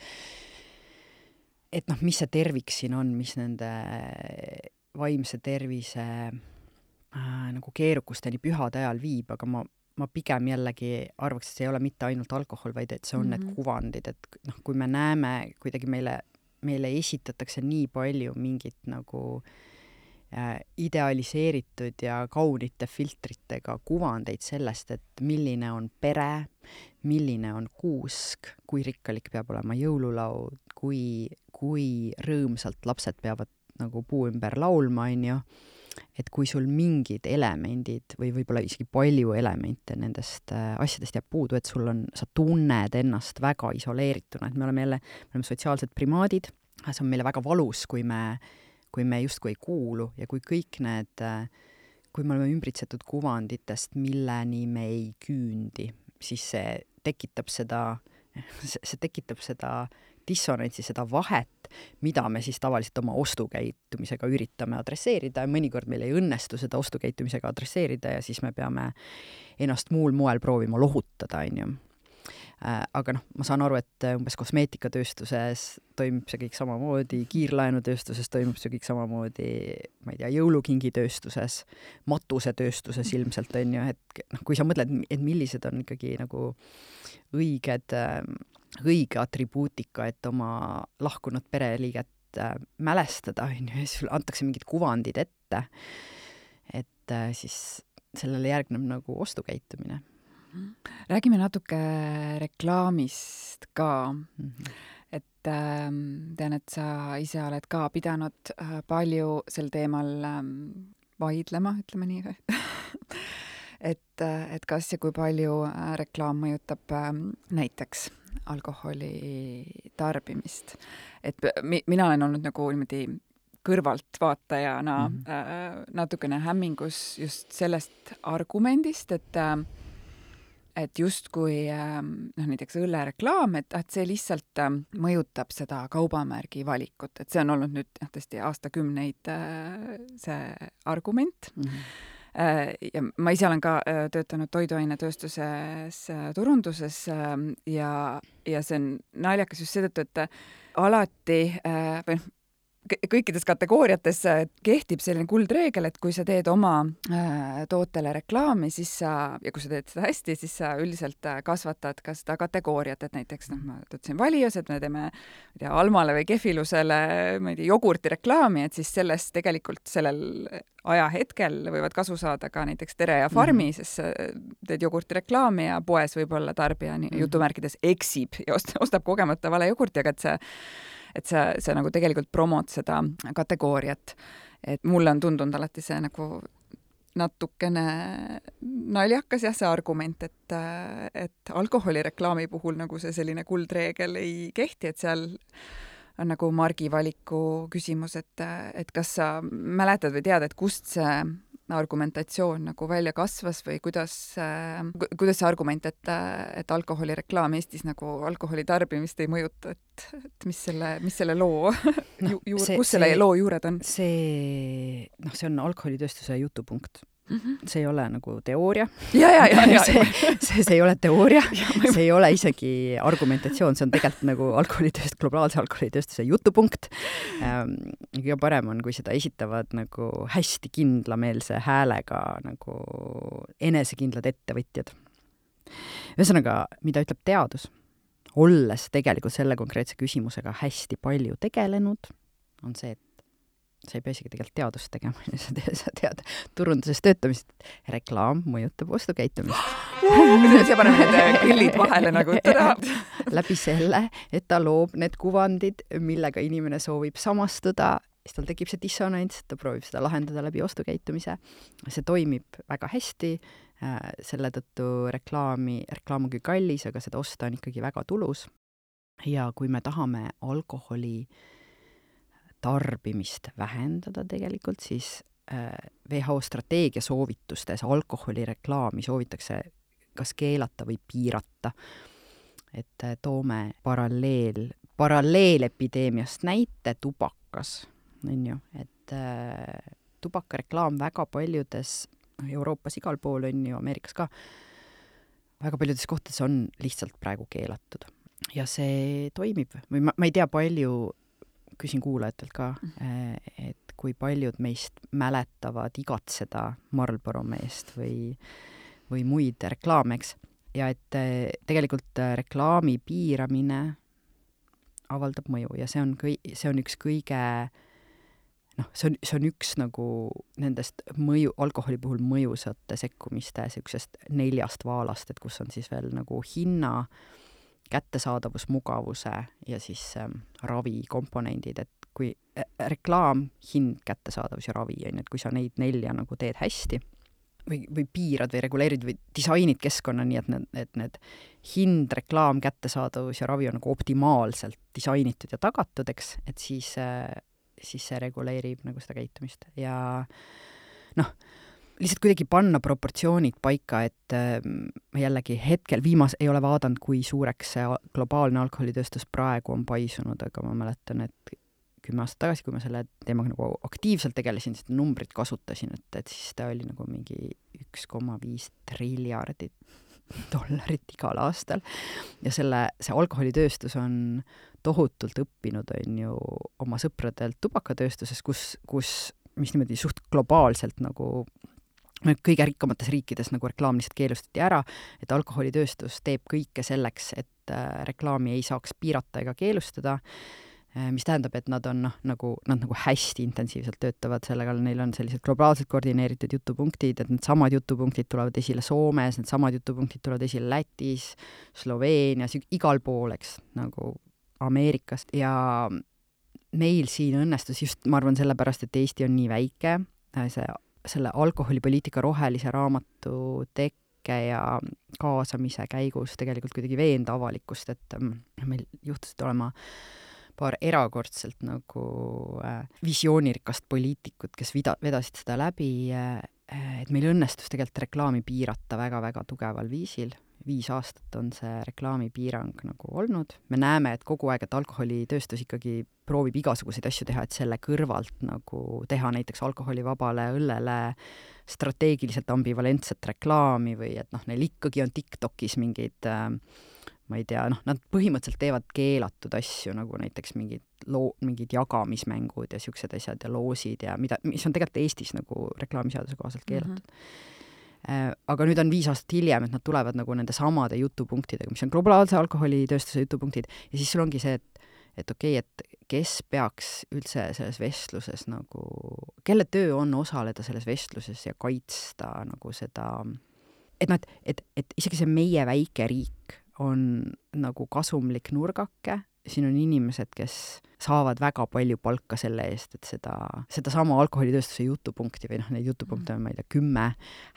et noh, mis see tervik siin on, mis nende vaimse tervise äh, nagu keerukusteni pühade ajal viib, aga ma, ma pigem jällegi arvaks, et see ei ole mitte ainult alkohol, vaid et see on mm-hmm. need kuvandid, et noh, kui me näeme kuidagi meile meile esitatakse nii palju mingit nagu äh, idealiseeritud ja kaunite filtritega kuvandeid sellest, et milline on pere, milline on kuusk, kui rikkalik peab olema jõululaud, kui, kui rõõmsalt lapsed peavad nagu puu ümber laulma, on ju, et kui sul mingid elemendid või võib-olla isegi palju elemente nendest äh, asjadest jääb puudu, et sul on, sa tunned ennast väga isoleerituna, et me oleme jälle, me oleme sotsiaalsed primaadid, see on meile väga valus, kui me, kui me justkui ei kuulu ja kui kõik need, äh, kui me oleme ümbritsetud kuvanditest, milleni me ei küündi, siis see tekitab seda, see tekitab seda dissonantsi, seda vahet, mida me siis tavaliselt oma ostukäitumisega üritame adresseerida ja mõnikord meil ei õnnestu seda ostukäitumisega adresseerida ja siis me peame ennast muul moel proovima lohutada, on ju. Aga noh, ma saan aru, et umbes kosmeetikatööstuses toimub see kõik samamoodi, kiirlaenutööstuses toimub see kõik samamoodi, ma ei tea, jõulukingitööstuses, matusetööstuses ilmselt, on ju, et noh, kui sa mõtled, et millised on ikkagi nagu õiged õige atribuutika, et oma lahkunud pereliiget äh, mälestada, on ju, ja siis antakse mingid kuvandid ette, et äh, siis sellele järgneb nagu ostukäitumine. Räägime natuke reklaamist ka. Mm-hmm. Et äh, tean, et sa ise oled ka pidanud äh, palju sel teemal äh, vaidlema, ütleme nii. et, et kas ja kui palju äh, reklaam mõjutab äh, näiteks alkoholi tarbimist. Et mi, mina olen olnud nagu niimoodi kõrvalt vaatajana mm-hmm. äh, natukene hämmingus just sellest argumendist, et äh, et justkui äh, noh, näiteks õllereklaam, et, et see lihtsalt äh, mõjutab seda kaubamärgi valikut, et see on olnud nüüd jah, tõesti aastakümneid äh, see argument. Mm-hmm. Ja ma ise olen ka töötanud toiduainetööstuses, turunduses ja, ja see on naljakas just seetõttu, et alati või kõikides kategooriates kehtib selline kuldreegel, et kui sa teed oma tootele reklaami, siis sa, ja kui sa teed seda hästi, siis sa üldiselt kasvatad ka seda kategooriat, et näiteks, noh, ma töötasin Valios, et me teeme, ma ei tea, Almale või Kefilusele, ma ei tea, jogurti reklaami, et siis sellest tegelikult sellel ajahetkel võivad kasu saada ka näiteks Tere ja Farmi, mm-hmm. sest teed jogurti reklaami ja poes võib-olla tarbija mm-hmm. jutumärkides eksib ja ostab kogemata vale jogurti, aga et see et sa, sa nagu tegelikult promod seda kategooriat. Et mulle on tundunud alati see nagu natukene naljakas jah, see argument, et, et alkoholireklaami puhul nagu see selline kuldreegel ei kehti, et seal on nagu margivaliku küsimus, et, et kas sa mäletad või tead, et kust see argumentatsioon nagu välja kasvas või kuidas, kuidas see argument, et, et alkoholireklaam Eestis nagu alkoholi tarbimist ei mõjuta, et, et mis selle, mis selle loo no, juur, see, kus selle see, loo juured on? See, noh, see on alkoholitööstuse jutupunkt. Mm -hmm. See ei ole nagu teooria. Ja, ja, ja, ja, see, see, see ei ole teooria, see ei ole isegi argumentatsioon, see on tegelikult nagu alkoholitööst, globaalse alkoholitööstuse jutupunkt. Ähm, kõige parem on, kui seda esitavad nagu hästi kindlameelse häälega nagu enesekindlad ettevõtjad. Ühesõnaga, mida ütleb teadus, olles tegelikult selle konkreetse küsimusega hästi palju tegelenud, on see, et sa ei pea isegi tegelikult teadust tegema, sa tead, sa tead turunduses töötamist. Reklaam mõjutab ostukäitumist. See paneb need kõllid vahele nagu tada. Läbi selle, et ta loob need kuvandid, millega inimene soovib samastuda, siis tal tekib see dissonants, ta proovib seda lahendada läbi ostukäitumise. See toimib väga hästi, selle tõttu reklaami, reklaam on küll kallis, aga seda osta on ikkagi väga tulus. Ja kui me tahame alkoholi tarbimist vähendada tegelikult, siis W H O strateegia soovitustes alkoholireklaami soovitakse kas keelata või piirata. Et toome paralleel, paralleelepideemiast näite tubakas. On ju, et äh, tubakareklaam väga paljudes, Euroopas igal pool on ju, Ameerikas ka, väga paljudes kohtades on lihtsalt praegu keelatud. Ja see toimib. Või ma, ma ei tea palju, küsin kuulajatelt ka, et kui paljud meist mäletavad igatseda Marlboro meest või, või muid reklaameks. Ja et tegelikult reklaami piiramine avaldab mõju ja see on, kõi, see on üks kõige, noh, see on, see on üks nagu nendest mõju, alkoholi puhul mõjusate sekkumiste sellisest neljast vaalast, et kus on siis veel nagu hinna, kättesaadavus, mugavuse ja siis ähm, ravi komponendid, et kui äh, reklaam, hind, kättesaadavus ja ravi, on, et kui sa neid nelja nagu teed hästi või, või piirad või reguleerid või disainid keskkonna nii, et need, et need hind, reklaam, kättesaadavus ja ravi on nagu optimaalselt disainitud ja tagatud, eks, et siis, äh, siis see reguleerib nagu seda käitumist ja noh, lihtsalt kuidagi panna proportsioonid paika, et äh, jällegi hetkel viimas ei ole vaadanud, kui suureks see globaalne alkoholitööstus praegu on paisunud, aga ma mäletan, et kümme aastat tagasi, kui ma selle teemaga nagu aktiivselt tegelesin, siis numbrit kasutasin, et, et siis ta oli nagu mingi üks koma viis triljardit dollarit igal aastal. Ja selle, see alkoholitööstus on tohutult õppinud, on ju, oma sõpradelt tubakatööstuses, kus, kus mis niimoodi suht globaalselt nagu kõige rikkamates riikides nagu reklaam lihtsalt keelustati ära, et alkoholitööstus teeb kõike selleks, et reklaami ei saaks piirata ega keelustada, mis tähendab, et nad on noh, nagu, nad nagu hästi intensiivselt töötavad sellega, neil on sellised globaalselt koordineeritud jutupunktid, et need samad jutupunktid tulevad esile Soomes, need samad jutupunktid tulevad esile Lätis, Sloveenias, igal pool, eks, nagu Ameerikast ja meil siin õnnestus just, ma arvan, sellepärast, et Eesti on nii väike, see selle alkoholipoliitika rohelise raamatu tekke ja kaasamise käigus tegelikult kuidagi veenda avalikkust, et meil juhtusid olema paar erakordselt nagu äh, visioonirikast poliitikut, kes vida, vedasid seda läbi, äh, et meil õnnestus tegelikult reklaami piirata väga-väga tugeval viisil. Viis aastat on see reklaamipiirang nagu olnud. Me näeme, et kogu aeg, et alkoholitööstus ikkagi proovib igasuguseid asju teha, et selle kõrvalt nagu teha näiteks alkoholivabale õllele strateegiliselt ambivalentset reklaami või et noh, neil ikkagi on TikTokis mingid, ma ei tea, noh, nad põhimõtteliselt teevad keelatud asju, nagu näiteks mingid, loo, mingid jagamismängud ja siuksed asjad ja loosid ja mida, mis on tegelikult Eestis nagu reklaamiseaduse kohaselt keelatud. Mm-hmm. Aga nüüd on viis aastat hiljem, et nad tulevad nagu nende samade jutupunktidega, mis on globaalse alkoholitööstuse jutupunktid ja siis sul ongi see, et, et okei, okay, et kes peaks üldse selles vestluses nagu, kelle töö on osaleda selles vestluses ja kaitsta nagu seda, et noh, et, et, et isegi see meie väike riik on nagu kasumlik nurgake siin on inimesed, kes saavad väga palju palka selle eest, et seda, seda sama alkoholitööstuse jutupunkti või noh, neid jutupunkte on, ma ei tea, kümme,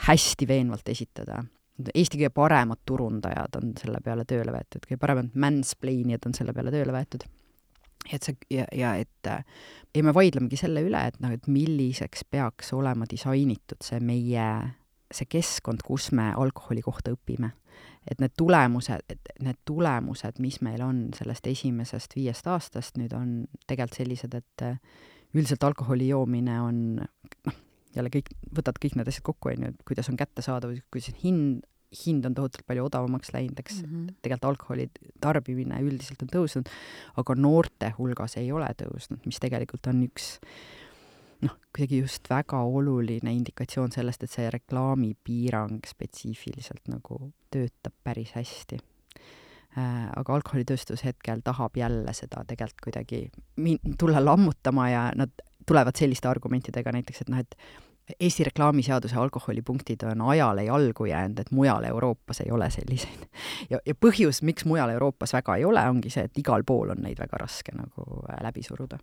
hästi veenvalt esitada. Eesti kõige paremad turundajad on selle peale tööle võetud, kõige paremad mansplainijad on selle peale tööle võetud. Et see, ja, ja et ja me vaidlemegi selle üle, et, noh, et milliseks peaks olema disainitud see meie, see keskkond, kus me alkoholi kohta õpime. Et need tulemused, et need tulemused, mis meil on sellest esimesest viiest aastast, nüüd on tegelikult sellised, et üldiselt alkoholi joomine on, noh, jälle kõik, võtad kõik need asjad kokku, on ju, kuidas on kättesaadav, kuidas hind, hind on tohutult palju odavamaks läinud, eks mm -hmm. tegelikult alkoholi tarbimine üldiselt on tõusnud, aga noorte hulgas ei ole tõusnud, mis tegelikult on üks noh, kuidagi just väga oluline indikatsioon sellest, et see reklaamipiirang spetsiifiliselt nagu töötab päris hästi. Äh, aga alkoholitööstus hetkel tahab jälle seda tegelikult kuidagi min- tulla lammutama ja nad tulevad selliste argumentidega näiteks, et noh, et Eesti reklaamiseaduse alkoholipunktid on ajale jalgu jäänud, et mujal Euroopas ei ole selliseid. Ja, ja põhjus, miks mujal Euroopas väga ei ole, ongi see, et igal pool on neid väga raske nagu läbi suruda.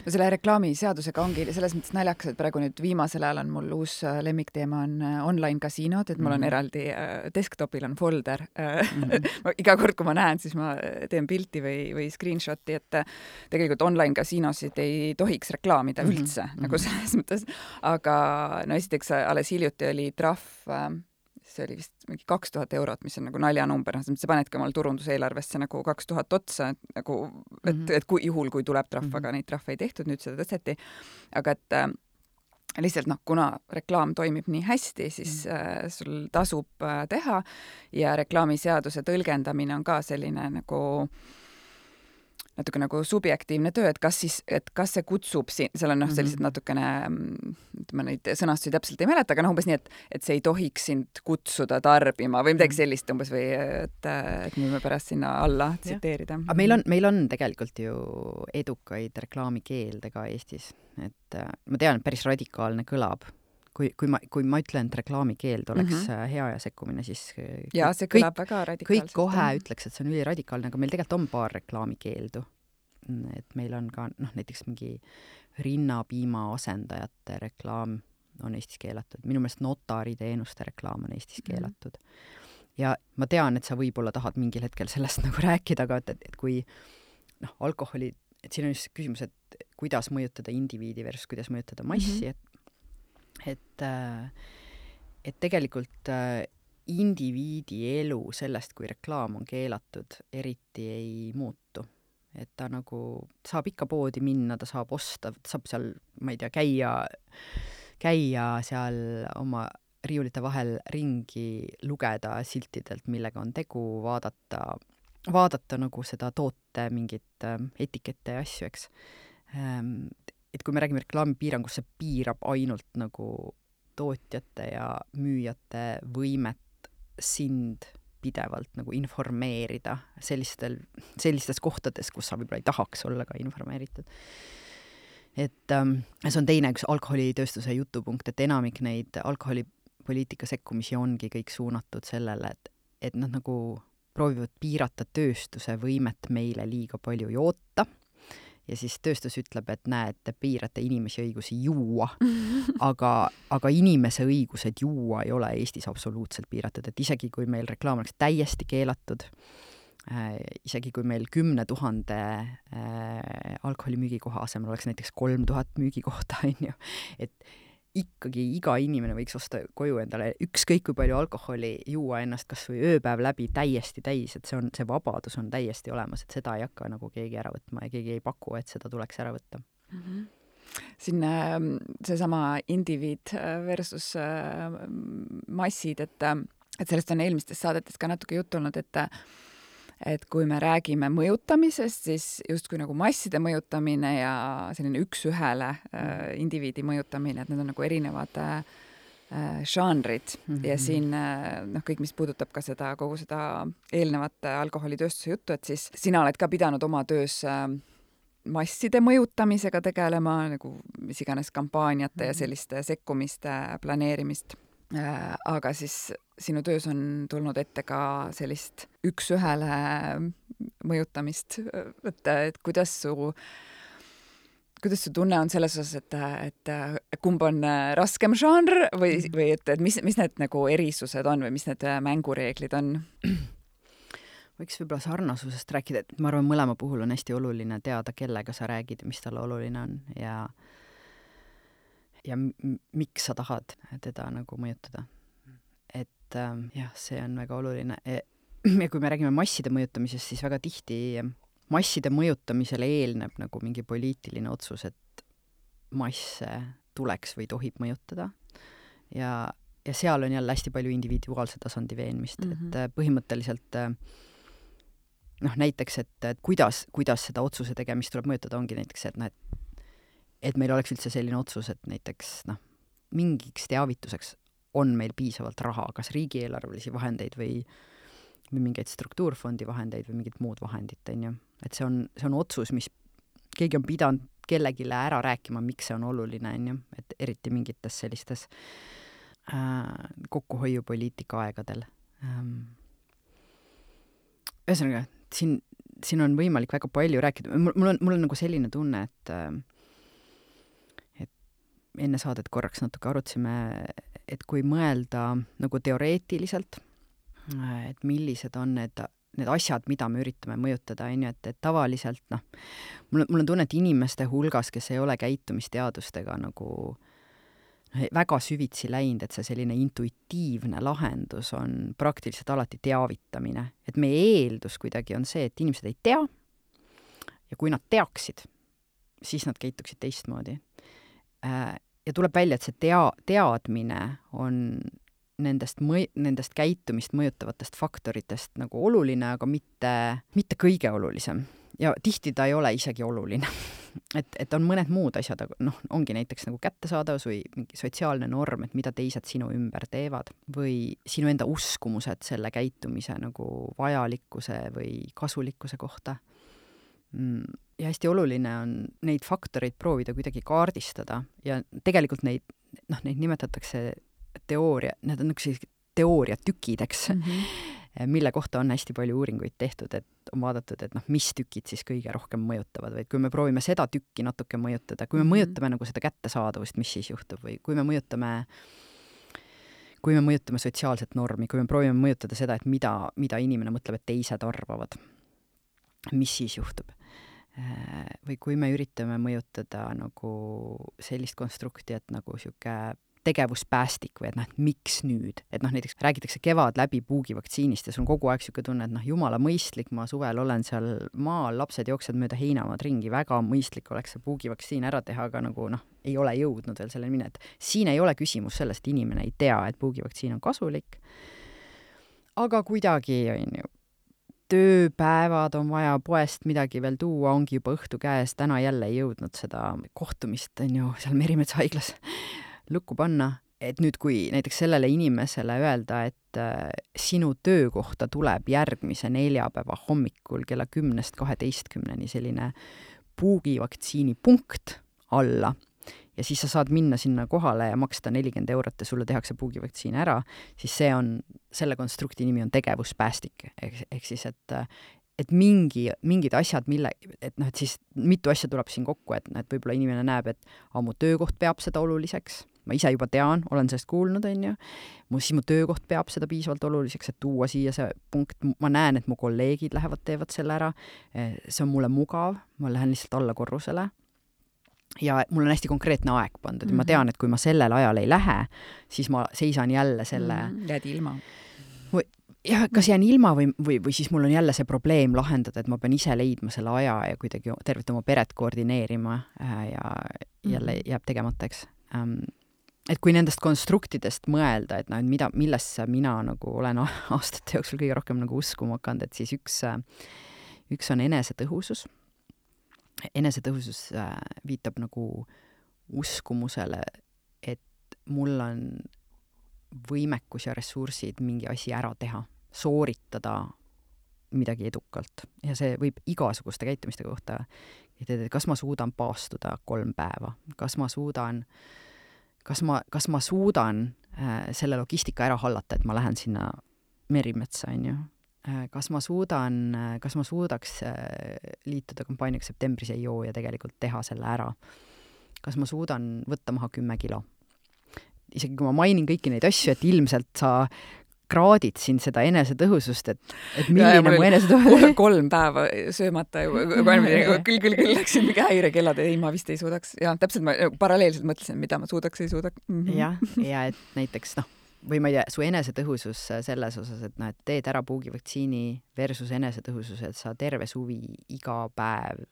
No selle reklaamiseadusega ongi selles mõttes naljakas, et praegu nüüd viimasel ajal on mul uus lemmikteema on online kasiinod, et mul on eraldi desktopil on folder. Mm-hmm. Iga kord, kui ma näen, siis ma teen pilti või, või screenshoti, et tegelikult online kasiinosid ei tohiks reklaamida üldse, mm-hmm. nagu selles mõttes. Aga no esiteks alles hiljuti oli trahv, see oli vist mingi kaks tuhat eurot, mis on nagu naljanumber, sa panedki omal turunduseelarvesse nagu kaks tuhat otsa, et, nagu, et, mm-hmm. et kui, juhul, kui tuleb trahv, mm-hmm. aga neid trahve ei tehtud, nüüd seda tõsteti. Aga et äh, lihtsalt noh, kuna reklaam toimib nii hästi, siis mm-hmm. äh, sul tasub äh, teha ja reklaamiseaduse tõlgendamine on ka selline nagu natuke nagu subjektiivne töö, et kas siis, et kas see kutsub siin, seal on noh, sellised natukene, ma neid sõnastusi täpselt ei mäleta, aga noh, umbes nii, et, et see ei tohiks sind kutsuda tarbima või midagi sellist umbes või et, et me võime pärast sinna alla tsiteerida. Aga meil on, meil on tegelikult ju edukaid reklaamikeelde ka Eestis, et ma tean, et päris radikaalne kõlab. Kui, kui, ma, kui ma ütlen, et reklaamikeeld oleks mm-hmm. hea ja sekkumine, siis ja, see kõlab kõik, väga radikaalselt. Kõik kohe ütleks, et see on üliradikaalne, aga meil tegelikult on paar reklaamikeeldu. Et meil on ka noh, näiteks mingi rinnapiima asendajate reklaam on Eestis keelatud. Minu meelest notariteenuste reklaam on Eestis keelatud. Mm-hmm. Ja ma tean, et sa võib-olla tahad mingil hetkel sellest nagu rääkida, aga et, et kui noh, alkoholi, et siin on just küsimus, et kuidas mõjutada indiviidi versus kuidas mõjutada massi, mm-hmm. et et, et tegelikult indiviidi elu sellest, kui reklaam on keelatud, eriti ei muutu. Et ta nagu saab ikka poodi minna, ta saab osta, ta saab seal, ma ei tea, käia, käia seal oma riiulite vahel ringi, lugeda siltidelt, millega on tegu, vaadata, vaadata nagu seda toote mingit etikette ja asju, eks. Et kui me räägime reklaamipiirangust, see piirab ainult nagu tootjate ja müüjate võimet sind pidevalt nagu informeerida sellistel, sellistes kohtades, kus sa võib-olla ei tahaks olla ka informeeritud. Et ähm, see on teine üks alkoholitööstuse jutupunkt, et enamik neid alkoholipoliitika sekkumisi ongi kõik suunatud sellele, et, et nad nagu proovivad piirata tööstuse võimet meile liiga palju joota. Ja siis tööstus ütleb, et näe, et te piirate inimesi õigusi juua, aga, aga inimese õigused juua ei ole Eestis absoluutselt piiratud, et isegi kui meil reklaam oleks täiesti keelatud, äh, isegi kui meil kümne tuhande äh, alkoholimüügikoha asemel oleks näiteks kolm tuhat müügikohta, on ju, et ikkagi iga inimene võiks osta koju endale ükskõik kui palju alkoholi juua ennast kas või ööpäev läbi täiesti täis, et see on, see vabadus on täiesti olemas, et seda ei hakka nagu keegi ära võtma ja keegi ei paku, et seda tuleks ära võtta. Mm-hmm. Siin seesama indiviid versus massid, et, et sellest on eelmistes saadetes ka natuke juttu olnud, et et kui me räägime mõjutamisest, siis justkui nagu masside mõjutamine ja selline üks-ühele äh, indiviidi mõjutamine, et need on nagu erinevad äh, žanrid mm-hmm. ja siin äh, noh, kõik, mis puudutab ka seda, kogu seda eelnevat alkoholitööstuse juttu, et siis sina oled ka pidanud oma töös äh, masside mõjutamisega tegelema, nagu mis iganes kampaaniate mm-hmm. ja selliste sekkumiste planeerimist aga siis sinu töös on tulnud ette ka sellist üks-ühele mõjutamist, et, et kuidas su kuidas su tunne on selles osas, et, et kumb on raskem žanr või, või et, et mis, mis need nagu erisused on või mis need mängureeglid on? Võiks võib-olla sarnasusest rääkida, et ma arvan, mõlema puhul on hästi oluline teada, kellega sa räägid ja mis talle oluline on ja ja m- miks sa tahad teda nagu mõjutada. Et äh, jah, see on väga oluline. Ja kui me räägime masside mõjutamisest, siis väga tihti masside mõjutamisele eelneb nagu mingi poliitiline otsus, et masse tuleks või tohib mõjutada. Ja, ja seal on jälle hästi palju individuaalse tasandi veenmist, mm-hmm. et põhimõtteliselt noh, näiteks, et, et kuidas, kuidas seda otsuse tegemist tuleb mõjutada, ongi näiteks, et, no, et, et meil oleks üldse selline otsus, et näiteks noh, mingiks teavituseks on meil piisavalt raha, kas riigieelarvelisi vahendeid või või mingeid struktuurfondi vahendeid või mingit muud vahendit, on ju. Et see on, see on otsus, mis keegi on pidanud kellegile ära rääkima, miks see on oluline, on ju. Et eriti mingites sellistes äh, kokkuhoiupoliitika aegadel. Ähm, ühesõnaga, siin, siin on võimalik väga palju rääkida. Mul, mul, on, mul on nagu selline tunne, et, äh, et enne saadet korraks natuke arutasime, et kui mõelda nagu teoreetiliselt, et millised on need, need asjad, mida me üritame mõjutada, on ju, et, et tavaliselt, noh, mul, mul on tunne, et inimeste hulgas, kes ei ole käitumisteadustega nagu väga süvitsi läinud, et see selline intuitiivne lahendus on praktiliselt alati teavitamine. Et meie eeldus kuidagi on see, et inimesed ei tea ja kui nad teaksid, siis nad käituksid teistmoodi. Ja tuleb välja, et see tea, teadmine on nendest, mõj, nendest käitumist mõjutavatest faktoritest nagu oluline, aga mitte, mitte kõige olulisem. Ja tihti ta ei ole isegi oluline. et, et on mõned muud asjad, aga noh, ongi näiteks nagu kättesaadavus või mingi sotsiaalne norm, et mida teised sinu ümber teevad või sinu enda uskumused selle käitumise nagu vajalikkuse või kasulikkuse kohta. Ja hästi oluline on neid faktoreid proovida kuidagi kaardistada ja tegelikult neid, noh, neid nimetatakse teooria, need on üks teooriatükideks, mm-hmm. mille kohta on hästi palju uuringuid tehtud, et on vaadatud, et noh, mis tükid siis kõige rohkem mõjutavad või kui me proovime seda tükki natuke mõjutada, kui me mm-hmm. mõjutame nagu seda kättesaadavust, mis siis juhtub või kui me mõjutame kui me mõjutame sotsiaalset normi, kui me proovime mõjutada seda, et mida, mida inimene mõtleb, et teised arvavad, mis siis juhtub. Või kui me üritame mõjutada nagu sellist konstrukti, et nagu siuke tegevuspäästik või et noh, et miks nüüd, et noh, näiteks räägitakse kevad läbi puugivaktsiinist ja sul on kogu aeg siuke tunne, et noh, jumala mõistlik, ma suvel olen seal maal, lapsed jooksevad mööda heinamaad ringi, väga mõistlik oleks see puugivaktsiin ära teha, aga nagu noh, ei ole jõudnud veel selleni minna, et siin ei ole küsimus sellest, inimene ei tea, et puugivaktsiin on kasulik, aga kuidagi on ju tööpäevad on vaja poest midagi veel tuua, ongi juba õhtu käes, täna jälle ei jõudnud seda kohtumist, on ju, seal Merimetsa haiglas lukku panna, et nüüd kui näiteks sellele inimesele öelda, et äh, sinu töökohta tuleb järgmise neljapäeva hommikul kella kümnest kaheteistkümneni selline puugivaktsiini punkt alla ja siis sa saad minna sinna kohale ja maksta nelikümmend eurot ja sulle tehakse puugivaktsiin ära, siis see on, selle konstrukti nimi on tegevuspäästik, ehk, ehk siis, et et mingi, mingid asjad, mille, et noh, et siis mitu asja tuleb siin kokku, et, et võib-olla inimene näeb, et a, mu töökoht peab seda oluliseks, ma ise juba tean, olen sellest kuulnud, on ju, mu, siis mu töökoht peab seda piisavalt oluliseks, et tuua siia see punkt, ma näen, et mu kolleegid lähevad, teevad selle ära, see on mulle mugav, ma lähen lihtsalt alla korrusele ja mul on hästi konkreetne aeg pandud ja mm-hmm. ma tean, et kui ma sellel ajal ei lähe, siis ma seisan jälle selle mm, jääd ilma. Või, jah, kas jään ilma või, või, või siis mul on jälle see probleem lahendada, et ma pean ise leidma selle aja ja kuidagi tervet oma peret koordineerima ja jälle jääb tegemata, eks. Et kui nendest konstruktidest mõelda, et no, et mida, millesse mina nagu olen aastate jooksul kõige rohkem nagu uskuma hakanud, et siis üks, üks on enesetõhusus. Enesetõhusus viitab nagu uskumusele, et mul on võimekus ja ressursid mingi asi ära teha, sooritada midagi edukalt. Ja see võib igasuguste käitumiste kohta, et kas ma suudan paastuda kolm päeva, kas ma suudan, kas ma, kas ma suudan selle logistika ära hallata, et ma lähen sinna Merimetsa, on ju. Kas ma suudan, kas ma suudaks liituda kampaaniaga septembris ei joo ja tegelikult teha selle ära? Kas ma suudan võtta maha kümme kilo? Isegi kui ma mainin kõiki neid asju, et ilmselt sa kraadid siin seda enesetõhusust, et, et milline ja, mu enesetõhusust... kolm päeva söömata, küll, küll, küll läksin mingi häirekellad, ei, ma vist ei suudaks. Ja täpselt ma paralleelselt mõtlesin, mida ma suudaks, ei suudaks. Mm -hmm. jah, ja et näiteks, noh, või ma ei tea, su enesetõhusus selles osas, et noh, et teed ära puugivaktsiini versus enesetõhusus, et sa terve suvi iga päev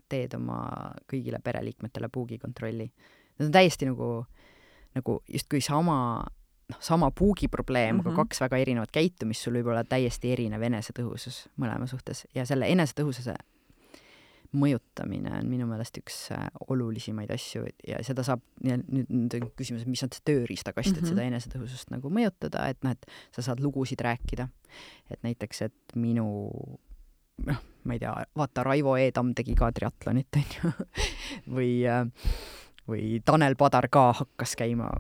teed oma kõigile pereliikmetele puugikontrolli. Need on täiesti nagu, nagu justkui sama... noh, sama puugiprobleem, mm -hmm. aga kaks väga erinevat käitumist, sul võib olla täiesti erinev enesetõhusus mõlema suhtes. Ja selle enesetõhususe mõjutamine on minu meelest üks olulisemaid asju ja seda saab, nüüd, nüüd on küsimus, mis on see tööriistakast, et mm -hmm. seda enesetõhusust nagu mõjutada, et noh, et sa saad lugusid rääkida. Et näiteks, et minu, noh, ma ei tea, vaata, Raivo Eedam tegi ka triatlonit, on ju, või, või Tanel Padar ka hakkas käima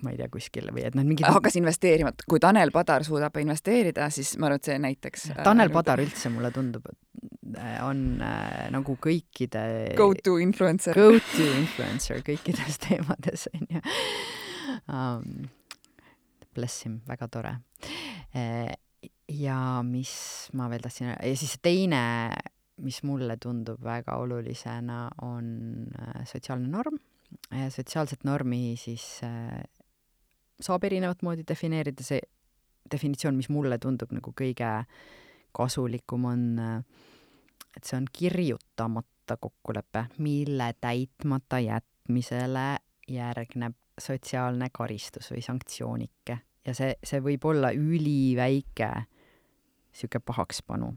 ma ei tea, kuskil või et noh, mingid... Hakkas investeerima. Kui Tanel Padar suudab investeerida, siis ma arvan, et see näiteks... Tanel Padar üldse mulle tundub, et on äh, nagu kõikide... Go-to influencer. Go-to influencer kõikides teemades, on ju. Um, bless him, väga tore. Ja mis ma veel tahtsin... Ja siis teine, mis mulle tundub väga olulisena, on sotsiaalne norm. Sotsiaalset normi siis... saab erinevat moodi defineerida. See definitsioon, mis mulle tundub nagu kõige kasulikum on, et see on kirjutamata kokkulepe, mille täitmata jätmisele järgneb sotsiaalne karistus või sanktsioonike. Ja see, see võib olla üliväike siuke pahakspanu.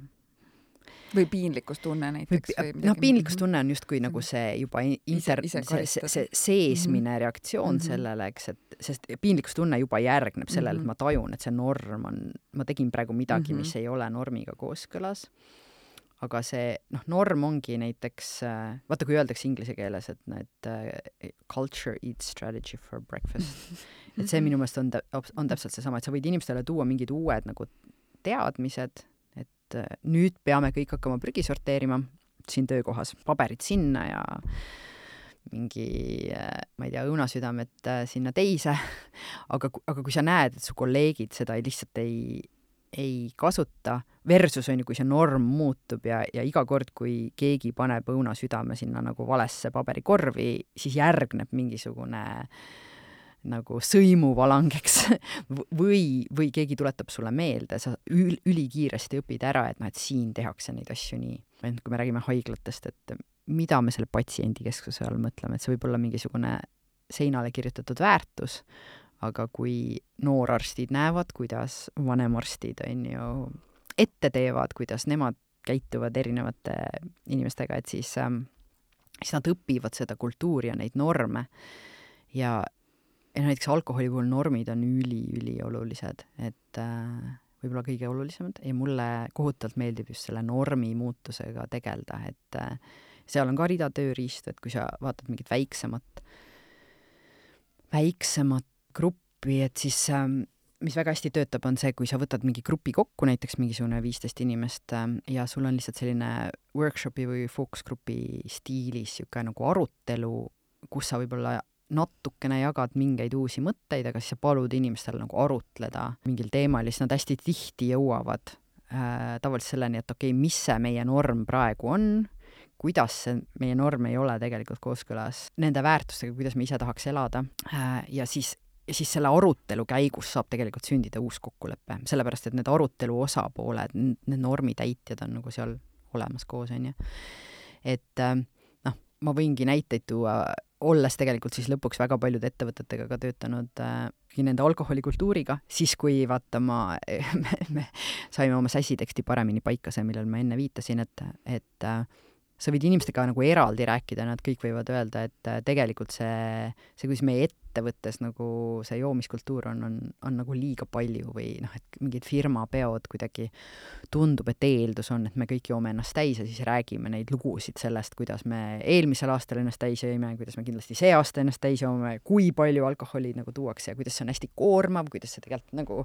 Või piinlikkustunne näiteks. Või, või noh, piinlikkustunne on justkui nagu see juba inter, ise, ise see, see seesmine mm-hmm. reaktsioon mm-hmm. sellele, eks, et sest piinlikkustunne juba järgneb sellele, mm-hmm. et ma tajun, et see norm on, ma tegin praegu midagi, mm-hmm. mis ei ole normiga kooskõlas. Aga see, noh, norm ongi näiteks, vaata, kui öeldakse inglise keeles, et need uh, culture eats strategy for breakfast. Mm-hmm. Et see minu meelest on, on täpselt seesama, et sa võid inimestele tuua mingid uued nagu teadmised, nüüd peame kõik hakkama prügi sorteerima siin töökohas, paberid sinna ja mingi, ma ei tea, õunasüdamed sinna teise, aga, aga kui sa näed, et su kolleegid seda lihtsalt ei, ei kasuta, versus on ju, kui see norm muutub ja, ja iga kord, kui keegi paneb õunasüdame sinna nagu valesse paberikorvi, siis järgneb mingisugune nagu sõimuvalang, eks, või, või keegi tuletab sulle meelde, sa ül, ülikiiresti õpid ära, et noh, et siin tehakse neid asju nii. Kui me räägime haiglatest, et mida me selle patsiendi keskuse all mõtleme, et see võib olla mingisugune seinale kirjutatud väärtus, aga kui noorarstid näevad, kuidas vanemarstid on ju ette teevad, kuidas nemad käituvad erinevate inimestega, et siis, ähm, siis nad õpivad seda kultuuri ja neid norme ja ja näiteks alkoholi puhul normid on üli-üli olulised, et äh, võib-olla kõige olulisemad ja mulle kohutavalt meeldib just selle normi muutusega tegelda, et äh, seal on ka rida tööriistu, et kui sa vaatad mingit väiksemat väiksemat gruppi, et siis äh, mis väga hästi töötab, on see, kui sa võtad mingi grupi kokku, näiteks mingisugune viisteist inimest äh, ja sul on lihtsalt selline workshopi või fookusgrupi stiilis siuke nagu arutelu, kus sa võib-olla natukene jagad mingeid uusi mõtteid, aga siis sa palud inimestele nagu arutleda mingil teemal ja siis nad hästi tihti jõuavad äh, tavaliselt selleni, et okei, okay, mis see meie norm praegu on, kuidas see meie norm ei ole tegelikult kooskõlas nende väärtustega, kuidas me ise tahaks elada äh, ja siis, ja siis selle arutelu käigus saab tegelikult sündida uus kokkulepe, sellepärast et need arutelu osapooled, need normitäitjad on nagu seal olemas koos, on ju. Et äh, noh, ma võingi näiteid tuua olles tegelikult siis lõpuks väga paljude ettevõtetega ka töötanud äh, nende alkoholikultuuriga, siis kui vaata ma, me, me saime oma sässiteksti paremini paika see, millel ma enne viitasin, et, et äh, sa võid inimestega nagu eraldi rääkida, nad kõik võivad öelda, et äh, tegelikult see, see, kuidas meie ette ettevõttes nagu see joomiskultuur on, on, on nagu liiga palju või noh, et mingid firmapeod kuidagi tundub, et eeldus on, et me kõik joome ennast täis ja siis räägime neid lugusid sellest, kuidas me eelmisel aastal ennast täis jõime, kuidas me kindlasti see aasta ennast täis joome, kui palju alkoholi nagu tuuakse ja kuidas see on hästi koormav, kuidas see tegelikult nagu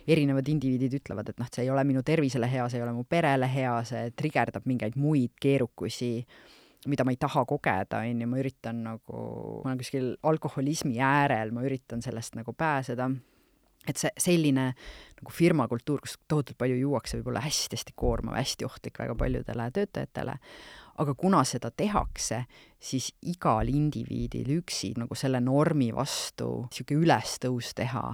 erinevad indiviidid ütlevad, et noh, see ei ole minu tervisele hea, see ei ole mu perele hea, see trigerdab mingeid muid keerukusi, mida ma ei taha kogeda, on ju, ma üritan nagu, ma olen kuskil alkoholismi äärel, ma üritan sellest nagu pääseda. Et see selline nagu firmakultuur, kus tohutult palju juuakse, võib olla hästi-hästi koormav, hästi ohtlik väga paljudele töötajatele. Aga kuna seda tehakse, siis igal indiviidil üksi nagu selle normi vastu siuke ülestõus teha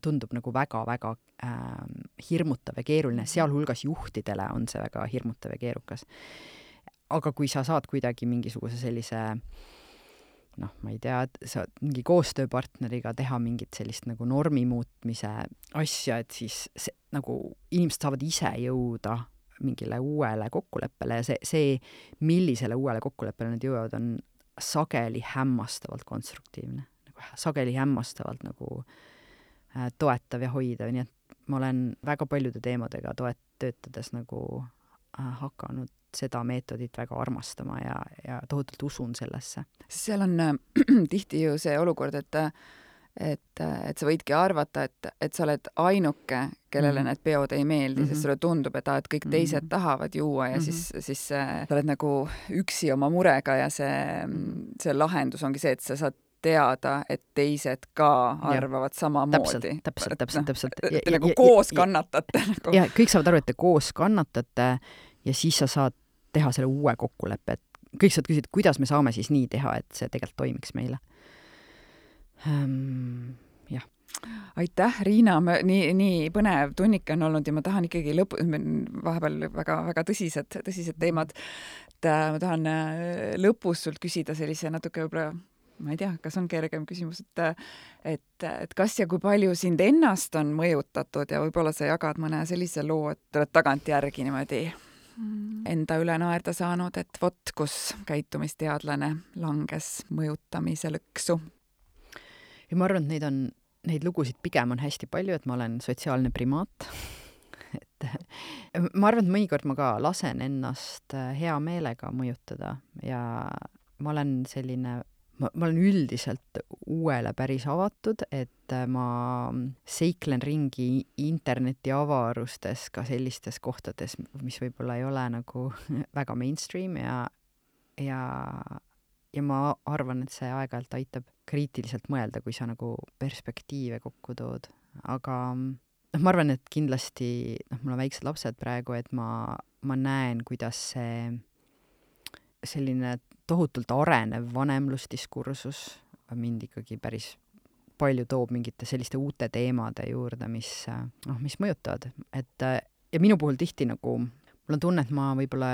tundub nagu väga-väga äh, hirmutav ja keeruline, sealhulgas juhtidele on see väga hirmutav ja keerukas. Aga kui sa saad kuidagi mingisuguse sellise, noh, ma ei tea, sa mingi koostööpartneriga teha mingit sellist nagu normi muutmise asja, et siis see, nagu inimesed saavad ise jõuda mingile uuele kokkuleppele ja see, see, millisele uuele kokkuleppele nad jõuavad, on sageli hämmastavalt konstruktiivne. Nagu sageli hämmastavalt nagu äh, toetav ja hoidav, nii et ma olen väga paljude teemadega toet-, töötades nagu äh, hakanud seda meetodit väga armastama ja, ja tohutult usun sellesse. Seal on äh, tihti ju see olukord, et, et, et sa võidki arvata, et, et sa oled ainuke, kellele mm-hmm. need peod ei meeldi, mm-hmm. sest sulle tundub, et, et kõik teised mm-hmm. tahavad juua ja mm-hmm. siis, siis sa oled nagu üksi oma murega ja see, see lahendus ongi see, et sa saad teada, et teised ka arvavad ja, samamoodi. Täpselt, täpselt, täpselt. Te ja, nagu ja, koos ja, kannatate. Nagu. Ja kõik saavad aru, et te koos kannatate ja siis sa saad teha selle uue kokkuleppe, et kõik saad küsida, kuidas me saame siis nii teha, et see tegelikult toimiks meile. Um, jah. Aitäh, Riina, nii, nii põnev tunnik on olnud ja ma tahan ikkagi lõpu, vahepeal väga, väga tõsised, tõsised teemad, et ma tahan lõpus sult küsida sellise natuke võib-olla, ma ei tea, kas on kergem küsimus, et, et, et kas ja kui palju sind ennast on mõjutatud ja võib-olla sa jagad mõne sellise loo, et oled tagantjärgi niimoodi enda üle naerda saanud, et vot, kus käitumisteadlane langes mõjutamise lõksu. Ja ma arvan, et neid on, neid lugusid pigem on hästi palju, et ma olen sotsiaalne primaat. et ma arvan, et mõnikord ma ka lasen ennast hea meelega mõjutada ja ma olen selline Ma, ma olen üldiselt uuele päris avatud, et ma seiklen ringi interneti avarustes ka sellistes kohtades, mis võib-olla ei ole nagu väga mainstream ja, ja, ja ma arvan, et see aeg-ajalt aitab kriitiliselt mõelda, kui sa nagu perspektiive kokku tood. Aga noh, ma arvan, et kindlasti, noh, mul on väiksed lapsed praegu, et ma, ma näen, kuidas see selline tohutult arenev vanemlusdiskursus mind ikkagi päris palju toob mingite selliste uute teemade juurde, mis, noh, mis mõjutavad. Et, ja minu puhul tihti nagu, mul on tunne, et ma võib-olla,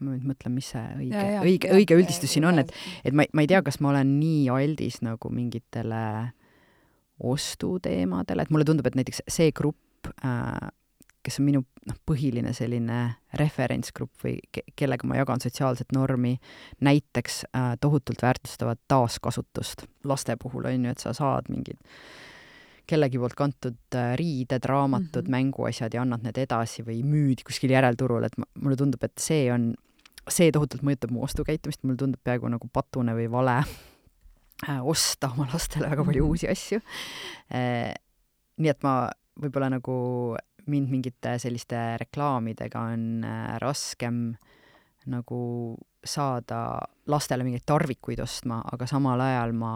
ma nüüd mõtlen, mis see õige, ja, ja, õige, ja, õige üldistus ja, siin on, et, et ma, ma ei tea, kas ma olen nii aldis nagu mingitele ostuteemadele, et mulle tundub, et näiteks see grupp, äh, kes on minu noh, põhiline selline referentsgrupp või ke- kellega ma jagan sotsiaalset normi, näiteks äh, tohutult väärtustavad taaskasutust laste puhul on ju, et sa saad mingid kellegi poolt kantud äh, riided, raamatud, mm-hmm. mänguasjad ja annad need edasi või müüd kuskil järelturul, et mulle tundub, et see on, see tohutult mõjutab mu ostukäitumist, mulle tundub peaaegu nagu patune või vale äh, osta oma lastele väga palju mm-hmm. uusi asju. Äh, nii et ma võib-olla nagu mind mingite selliste reklaamidega on äh, raskem nagu saada lastele mingeid tarvikuid ostma, aga samal ajal ma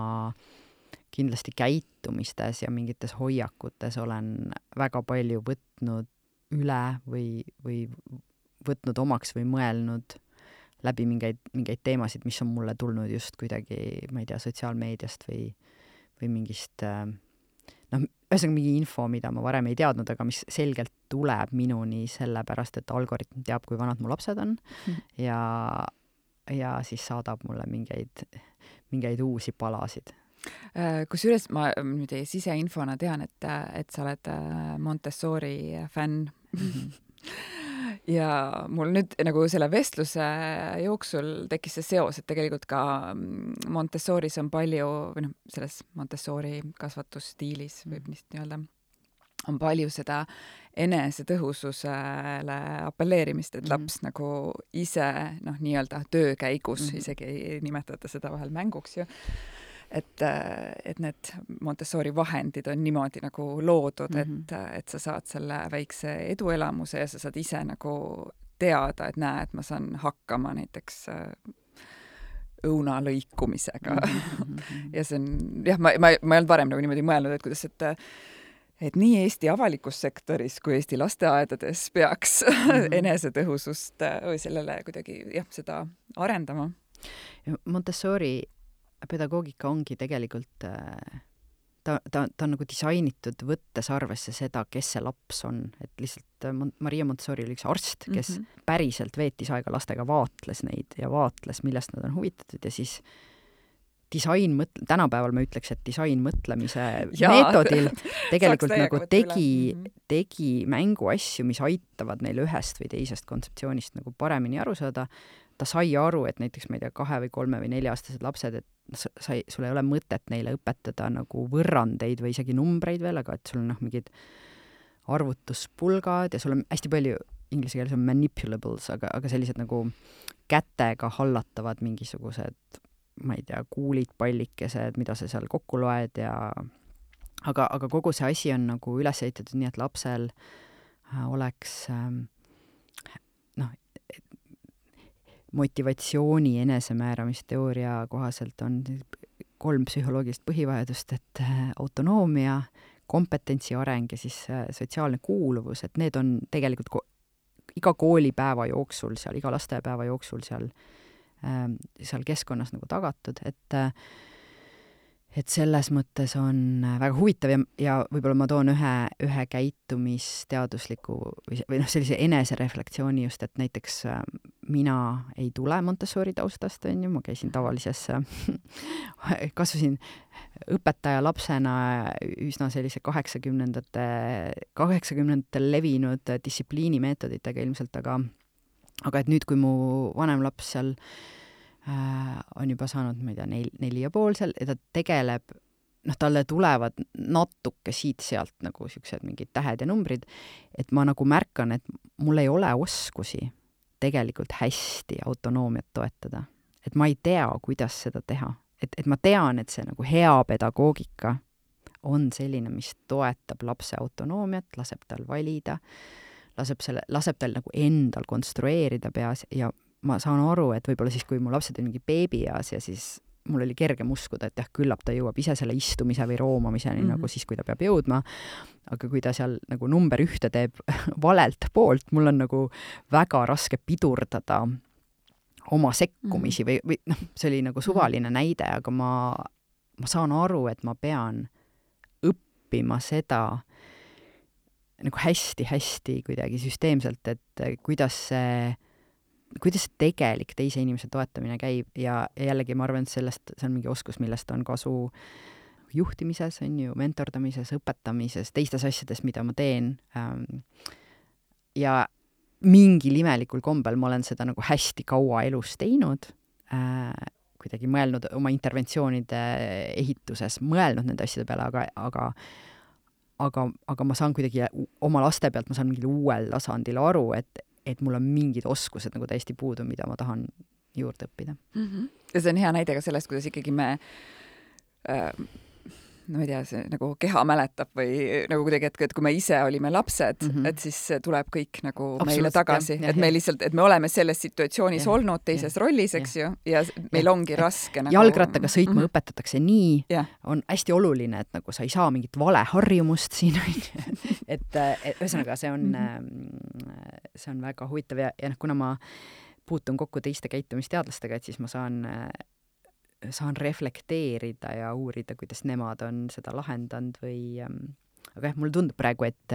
kindlasti käitumistes ja mingites hoiakutes olen väga palju võtnud üle või, või võtnud omaks või mõelnud läbi mingeid, mingeid teemasid, mis on mulle tulnud just kuidagi, ma ei tea, sotsiaalmeediast või, või mingist äh, noh, ühesõnaga mingi info, mida ma varem ei teadnud, aga mis selgelt tuleb minuni sellepärast, et algoritm teab, kui vanad mu lapsed on mm. ja, ja siis saadab mulle mingeid, mingeid uusi palasid. Kusjuures ma nüüd siseinfona tean, et, et sa oled Montessori fänn. Mm-hmm. ja mul nüüd nagu selle vestluse jooksul tekkis see seos, et tegelikult ka Montessoris on palju, või noh, selles Montessori kasvatusstiilis võib nii öelda, on palju seda enesetõhususele apelleerimist, et laps mm-hmm. nagu ise noh, nii-öelda töö käigus mm-hmm. isegi ei nimetata seda vahel mänguks ju, et, et need Montessori vahendid on niimoodi nagu loodud, mm-hmm. et, et sa saad selle väikse eduelamuse ja sa saad ise nagu teada, et näe, et ma saan hakkama näiteks õuna lõikumisega mm-hmm. ja see on, jah, ma, ma, ma ei olnud varem nagu niimoodi mõelnud, et kuidas, et et nii Eesti avalikus sektoris kui Eesti lasteaedades peaks mm-hmm. enesetõhusust või sellele kuidagi jah, seda arendama. Montessori pedagoogika ongi tegelikult, ta, ta, ta on nagu disainitud võttes arvesse seda, kes see laps on. Et lihtsalt Maria Montessori oli üks arst, kes mm-hmm. päriselt veetis aega lastega, vaatles neid ja vaatles, millest nad on huvitatud ja siis disain mõtle, tänapäeval ma ütleks, et disain mõtlemise ja, meetodil tegelikult nagu tegi, tegi mängu asju, mis aitavad neil ühest või teisest kontseptsioonist nagu paremini aru saada. Ta sai aru, et näiteks, ma ei tea, kahe või kolme või nelja-aastased lapsed, et sai, sul ei ole mõtet neile õpetada nagu võrrandeid või isegi numbreid veel, aga et sul on noh, mingid arvutuspulgad ja sul on hästi palju, inglise keeles on manipulables, aga, aga sellised nagu kätega hallatavad mingisugused ma ei tea, kuulid, pallikesed, mida sa seal kokku loed ja aga, aga kogu see asi on nagu üles ehitatud nii, et lapsel oleks noh, motivatsiooni enesemääramisteooria kohaselt on kolm psühholoogilist põhivajadust, et autonoomia, kompetentsi areng ja siis sotsiaalne kuuluvus, et need on tegelikult ko- iga koolipäeva jooksul seal, iga lastepäeva jooksul seal seal keskkonnas nagu tagatud, et et selles mõttes on väga huvitav ja, ja võib-olla ma toon ühe, ühe käitumisteadusliku või, või noh, sellise enesereflektsiooni just, et näiteks mina ei tule Montessori taustast, on ju, ma käisin tavalises kasvasin õpetaja lapsena üsna sellise kaheksakümnendate kaheksakümnendatel levinud distsipliinimeetoditega ilmselt, aga aga et nüüd, kui mu vanem laps seal äh, on juba saanud, ma ei tea, nel, neli ja pool seal, ja ta tegeleb, noh, talle tulevad natuke siit-sealt nagu siuksed mingid tähed ja numbrid, et ma nagu märkan, et mul ei ole oskusi tegelikult hästi autonoomiat toetada. Et ma ei tea, kuidas seda teha. Et, et ma tean, et see nagu hea pedagoogika on selline, mis toetab lapse autonoomiat, laseb tal valida, laseb, selle, laseb tal nagu endal konstrueerida peas ja ma saan aru, et võib-olla siis, kui mu lapsed on mingi beebieas ja siis mul oli kergem uskuda, et jah, küllap ta jõuab ise selle istumise või roomamiseni mm-hmm. nagu siis, kui ta peab jõudma. Aga kui ta seal nagu number ühte teeb valelt poolt, mul on nagu väga raske pidurdada oma sekkumisi mm-hmm. või, või noh, see oli nagu suvaline mm-hmm. näide, aga ma, ma saan aru, et ma pean õppima seda nagu hästi-hästi kuidagi süsteemselt, et kuidas see, kuidas see tegelik teise inimese toetamine käib ja, ja jällegi ma arvan, et sellest, see on mingi oskus, millest on kasu juhtimises, on ju, mentordamises, õpetamises, teistes asjades, mida ma teen. Ja mingil imelikul kombel ma olen seda nagu hästi kaua elus teinud, kuidagi mõelnud oma interventsioonide ehituses, mõelnud nende asjade peale, aga, aga Aga, aga ma saan kuidagi oma laste pealt, ma saan mingil uuel tasandil aru, et, et mul on mingid oskused nagu täiesti puudu, mida ma tahan juurde õppida. Mm-hmm. Ja see on hea näide ka sellest, kuidas ikkagi me äh, no ma ei tea, see nagu keha mäletab või nagu kuidagi, et, et kui me ise olime lapsed, mm-hmm. et siis tuleb kõik nagu absoluut, meile tagasi, ja, et ja, me lihtsalt, et me oleme selles situatsioonis ja, olnud teises ja, rollis, eks ja, ju, ja meil ja, ongi ja, raske nagu... Jalgrattaga sõitma mm-hmm. õpetatakse nii, ja. On hästi oluline, et nagu sa ei saa mingit valeharjumust siin, et, et ühesõnaga see on mm-hmm. see on väga huvitav ja, ja noh, kuna ma puutun kokku teiste käitumisteadlastega, et siis ma saan saan reflekteerida ja uurida, kuidas nemad on seda lahendanud või aga jah, mulle tundub praegu, et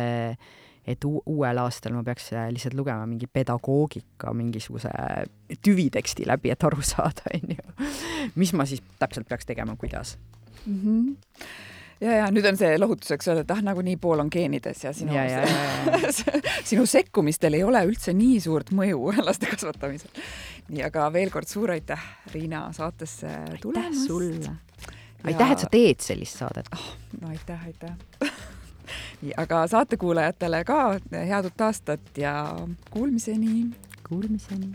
et uuel aastal ma peaks lihtsalt lugema mingi pedagoogika mingisuguse tüviteksti läbi, et aru saada, on ju. Mis ma siis täpselt peaks tegema, kuidas? Mm-hmm. ja, ja nüüd on see lohutuseks öelda, et ah, nagu nii pool on geenides ja sinu, ja, ja, ja, ja. sinu sekkumistel ei ole üldse nii suurt mõju laste kasvatamisel. Nii, aga veel kord suur aitäh, Riina, saatesse tulemast. Aitäh sulle. Aitäh, et sa teed sellist saadet. Oh, no aitäh, aitäh. Nii, aga saatekuulajatele ka head uut aastat ja kuulmiseni. Kuulmiseni.